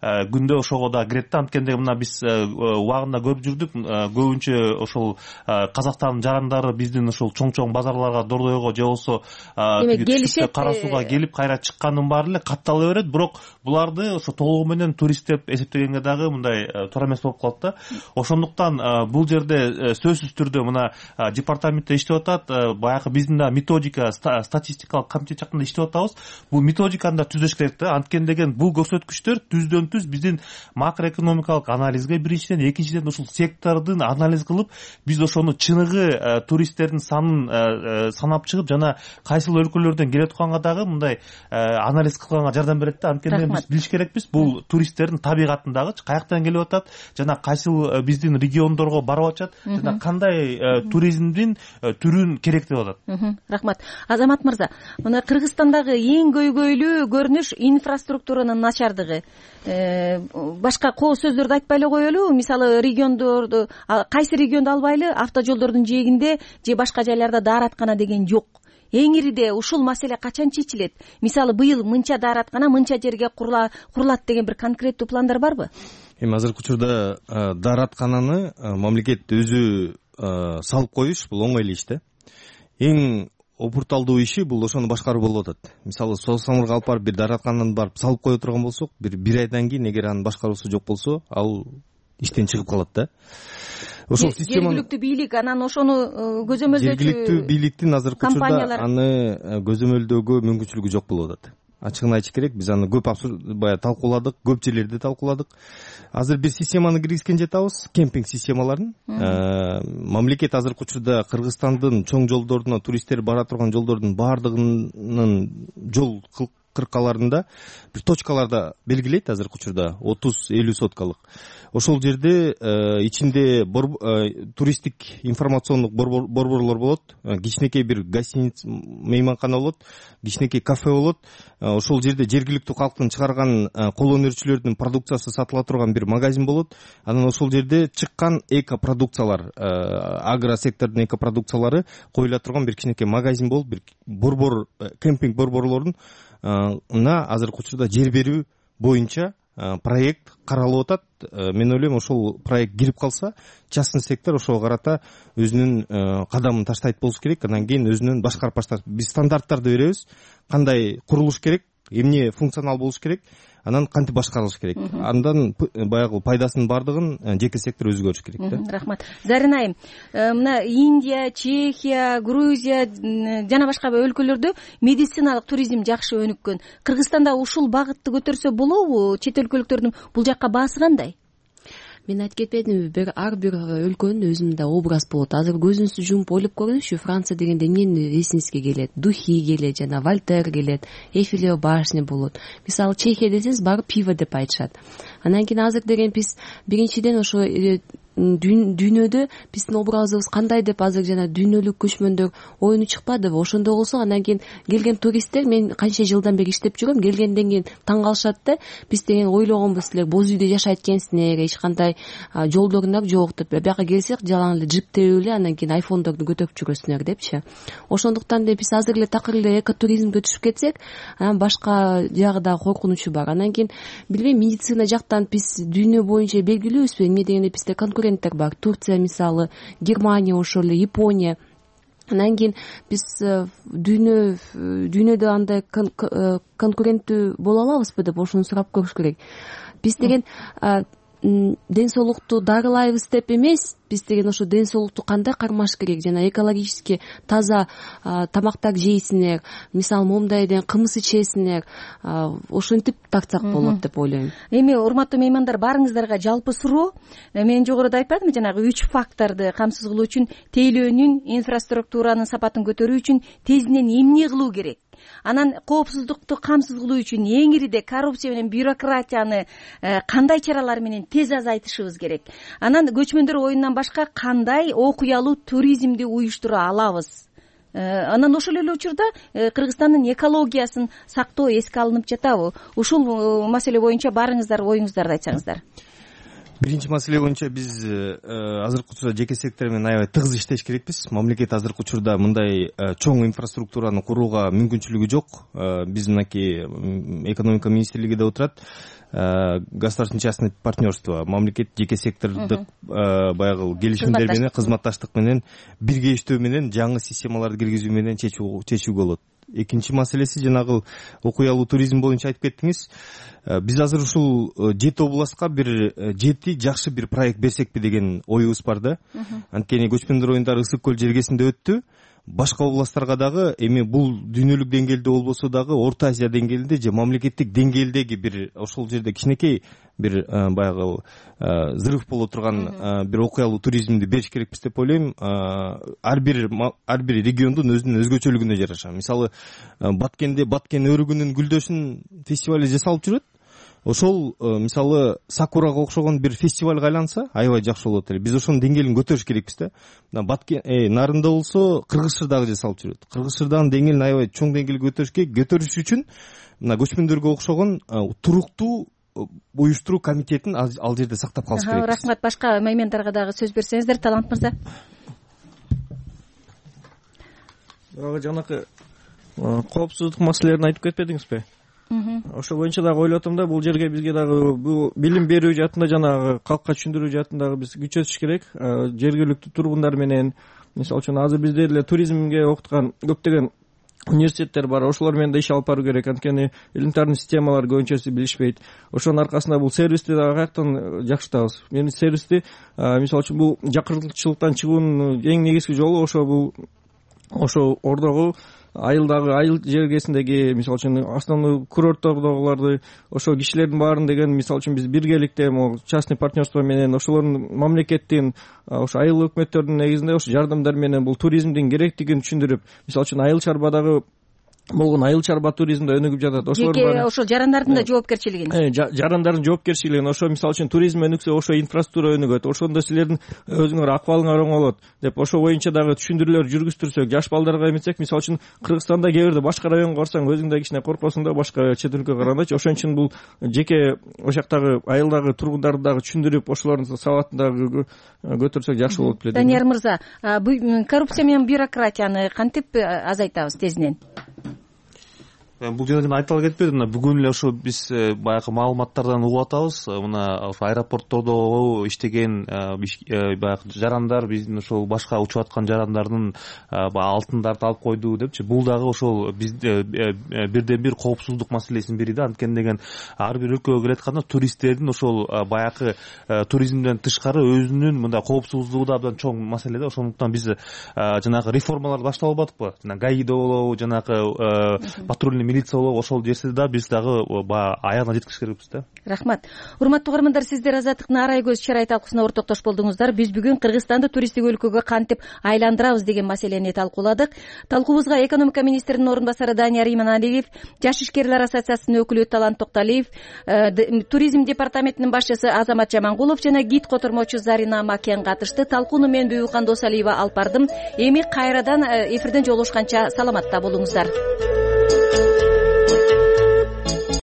күндө ошого да кирет да. Анткенде мына биз убагында көрүп жүрдүк, көбүнчө ошол Казакстандын жарандары биздин ошол чоң-чоң базарларга, Дордойго же болбосо Кара Сууга келип кайра чыккандын баары эле каттала берет. Бирок буларды ошо толугу менен турист деп эсептегенге дагы мындай туура эмес болуп калат да. Ошондуктан бул жерде сөзсүз түрдө мына департаментте иштеп атат, баягы биздин да методика, статистикалык комитет жактан иштеп атабыз. Бул методиканы да түзөш керек да. Анткени деген бул көрсөткүчтөр түздөн түз биздин макроэкономикалык анализге биринчиден, экинчиден ушул сектордун анализ кылып, биз ошону чыныгы туристтердин санын санап чыгып, жана кайсыл өлкөлөрдөн келе атканга дагы мындай анализ кылганга жардам берет да. Анткени биз билиш керекпиз, бул туристтердин табигатындагы каяктан келип атат, жана кайсыл биздин региондорго барып атышат, жана кандай туризмдин түрүн керек деп атат. Рахмат. Азамат мырза, мына Кыргызстандагы эң көйгөйлүү көрүнүш инфраструктуранын начардыгы. Башка коо сөздөрдү айтпай эле коелу. Мисалы, региондорду, кайсы регионду албайлы, автожолдордун жээгинде же башка жайларда даараткана деген жок. Эң ириде ушул маселе качан чечилет? Мисалы, быйыл мынча даараткана мынча жерге курулат деген бир конкреттүү пландар барбы? Эми азыркы учурда даараткананы мамлекет өзү салып коюш бул оңой эле иш да. Эң опурталдуу иши бул ошону башкаруу болуп атат. Мисалы, Соос Самурга алып барып бир даараткананы барып салып кое турган болсок, бир бир айдан кийин эгер анын башкаруусу жок болсо, ал иштен чыгып калат да. Ошол система жергиликтүү бийлик анан ошону көзөмөлдөөчү жергиликтүү бийликтин азыркы учурда аны көзөмөлдөөгө мүмкүнчүлүгү жок болуп атат. ачыгын айтыш керек, биз аны көп баягы талкууладык, көп жерлерде талкууладык. Азыр бир системаны киргизген жатабыз, кемпинг системаларын. Мамлекет азыркы учурда Кыргызстандын чоң жолдоруна, туристтер бара турган жолдордун баардыгынын жол кыркаларында бир точкаларда белгилейт азыркы учурда отуз элүү соткалык. Ошол жерде ичинде туристтик информациондук борборлор болот, кичинекей бир гостиница, мейманкана болот, кичинекей кафе болот. Ошол жерде жергиликтүү калктын чыгарган кол өнөрчүлөрдүн продукциясы сатыла турган бир магазин болот. Анан ошол жерде чыккан эко продукциялар, агро сектордун эко продукциялары коюла турган бир кичинекей магазин болуп, бир борбор, кемпинг борборлорунун на азыркы учурда жер берүү боюнча проект каралып атат. Мен ойлойм, ошол проект кирип калса, частный сектор ошого карата өзүнүн кадамын таштайт болуш керек. Андан кийин өзүнүн башкарып баштайт. Биз стандарттарды беребиз, кандай курулуш керек, эмне функционал болуш керек, анан кантип башкарылыш керек. Андан баягы пайдасынын баардыгын жеке сектор өзү көрүш керек да. Рахмат. Зарин айым, мына Индия, Чехия, Грузия жана башка өлкөлөрдө медициналык туризм жакшы өнүккөн. Кыргызстанда ушул багытты көтөрсө болобу? Чет өлкөлүктөрдүн бул жакка баасы кандай? Мен айтып кетпедимби, бир ар бир өлкөнүн өзүнүн образ болот. Азыр көзүңүздү жумуп ойлоп көрүңүзчү, Франция дегенде эмне эсиңизге келет? Духи келет, жана Вольтер келет, Эйфелева башня болот. Мисалы Чехия десеңиз, баары пиво деп айтышат. Анан кийин азыр деген биз биринчиден ошо дүйнөдө биздин образыбыз кандай деп азыр жана дүйнөлүк көчмөндөр оюну чыкпадыбы? Ошондой болсо андан кийин келген туристтер, мен канча жылдан бери иштеп жүрөм, келгенден кийин таң калышат да, биз деген ойлогонбуз, силер боз үйдө жашайт экенсиңер, эч кандай жолдоруңар жок деп. Бияка келсек, жалаң эле джип терип эле анан кийин айфондорду көтөрүп жүрөсүңөр депчи. Ошондуктан да биз азыр эле такыр эле экотуризмге түшүп кетсек, анан башка жагы дагы коркунучу бар. Анан кийин билбейм, медицина жактан биз дүйнө боюнча белгилүүбүзбү? Эмне дегенде бизде конкурент бар. Турция мисалы, Германия, ошол эле Япония. Анан кийин биз дүйнө дүйнөдө андай конкуренттүү боло алабызбы деп ошону сурап көрүш керек. Биз деген ден соолукту дарылайбыз деп эмес, биз деген ошо ден соолукту кандай кармаш керек, жана экологически таза тамактар жейсиңер, мисалы момдайден кымыз ичесиңер, ошентип тартсак болот деп ойлойм. Эми урматтуу меймандар, баарыңыздарга жалпы суроо. Мен жогоруда айтпадымбы, жанагы үч факторду камсыз кылуу үчүн, тейлөөнүн, инфраструктуранын сапатын көтөрүү үчүн тезинен эмне кылуу керек? Анан коопсуздукту камсыз кылуу үчүн эң ириде коррупция менен бюрократияны кандай чаралар менен тез азайтышыбыз керек? Анан көчмөндөр оюнунан башка кандай окуялуу туризмди уюштура алабыз? Анан ошол эле учурда Кыргызстандын экологиясын сактоо эске алынып жатабы? Ушул маселе боюнча баарыңыздар оюңуздарды айтсаңыздар. Биринчи маселе боюнча биз азыркы учурда жеке сектор менен аябай тыгыз иштеш керекпиз. Мамлекет азыркы учурда мындай чоң инфраструктураны курууга мүмкүнчүлүгү жок. Биз мынакей экономика министрлигиде отурат. Государственное частное партнерство, мамлекет жеке сектордук баягы келишимдер менен, кызматташтык менен бирге иштөө менен жаңы системаларды киргизүү менен чечүүгө болот. Экинчи маселеси жанагы окуялуу туризм боюнча айтып кеттиңиз. Биз азыр ушул жети областка бир жети жакшы бир проект берсекпи деген оюбуз бар да. Анткени көчмөндөр оюндары Ысык көл жергесинде өттү. Башка областтарга дагы эми бул дүйнөлүк деңгээлде болбосо дагы Орто Азия деңгээлинде же мамлекеттик деңгээлдеги бир ошол жерде кичинекей бир баягы зырыв боло турган бир окуялуу туризмди бериш керекпиз деп ойлойм. Ар бир ар бир региондун өзүнүн өзгөчөлүгүнө жараша. Мисалы Баткенде Баткен өрүгүнүн гүлдөшүн фестивали жасалып жүрөт. Ошол мисалы Сакурага окшогон бир фестивалга айланса аябай жакшы болот эле. Биз ошонун деңгээлин көтөрүш керекпиз да. Мына Баткен нарында болсо Кыргызчырдагы жасалып жүрөт. Кыргызчырдагы деңгээлин аябай чоң деңгээлге көтөрүш керек. Көтөрүш үчүн мына көчмөндөргө окшогон туруктуу уюштуруу комитетин ал жерде сактап калыш керек. Рахмат. Башка меймандарга дагы сөз берсеңиздер, Талант мырза. Дагы жанакы коопсуздук маселелерин айтып кетпедиңизби? Ошо боюнча дагы ойлоп атам да, бул жерге бизге дагы бул билим берүү жаатында, жанагы калкка түшүндүрүү жаатында биз күч өтүш керек. Жергиликтүү тургундар менен, мисалы үчүн азыр бизде эле туризмге окуткан көптөгөн университеттер бар, ошолор менен да иш алып баруу керек. Анткени элементарный системалар көбүнчөсү билишпейт. Ошонун аркасында бул сервисти дагы каяктан жакшыртабыз? Мен сервисти, мисалы үчүн бул жакыртылчылыктан чыгуунун эң негизги жолу ошо бул ошо ордогу айылдагы айыл жергесиндеги мисалы үчүн основной курорттордогуларды ошол кишилердин баарын деген мисалы үчүн биз биргеликте могу частный партнерство менен ошолордун мамлекеттин ошо айыл өкмөттөрдүн негизинде ошо жардамдар менен бул туризмдин керектигин түшүндүрүп мисалы үчүн айыл чарбадагы болгон айыл чарба туризмде өнүгүп жатат жеке ошол жарандардын да жоопкерчилигин жарандардын жоопкерчилигин ошо мисалы үчүн туризм өнүксө ошо инфраструктура өнүгөт ошондо силердин өзүңөр акыбалыңар оңолот деп ошол боюнча дагы түшүндүрүүлөр жүргүзтүрсөк жаш балдарга эметсек мисалы үчүн Кыргызстанда кээ бирде башка районго барсаң өзүң да кичине коркосуң да башка чет өлкөгө карагандачы ошон үчүн бул жеке ошол жактагы айылдагы тургундарды дагы түшүндүрүп ошолордун сабатын дагы көтөрсөк жакшы болот беле Данияр мырза коррупция менен бюрократияны кантип азайтабыз тезинен бул жерде жана айтыла кетпеди мына бүгүн эле ошо биз баягы маалыматтардан угуп атабыз мына ошо аэропорттордо иштеген баягы жарандар биздин ошол башка учуп аткан жарандардын баягы алтындарды алып койду депчи бул дагы ошол бизде бирден бир коопсуздук маселесинин бири да анткени деген ар бир өлкөгө келатканда туристтердин ошол баягы туризмден тышкары өзүнүн мындай коопсуздугу да абдан чоң маселе да ошондуктан биз жанагы реформаларды баштап албадыкпы жана гаида болобу жанагы патрульный милиция болобу ошол жерде да биз дагы баягы аягына жеткизиш керекпиз да рахмат урматтуу угармандар сиздер азаттыктын арай көз чырай талкуусуна ортоктош болдуңуздар биз бүгүн Кыргызстанды туристтик өлкөгө кантип айландырабыз деген маселени талкууладык талкуубузга экономика министринин орун басары Данияр Иманалиев жаш ишкерлер ассоциациясынын өкүлү Талант Токталиев туризм департаментинин башчысы Азамат Жамангулов жана гид котормочу Зарина Макен катышты талкууну мен Бүйүкхан Досалиева алып бардым эми кайрадан эфирден жолугушканча саламатта болуңуздар.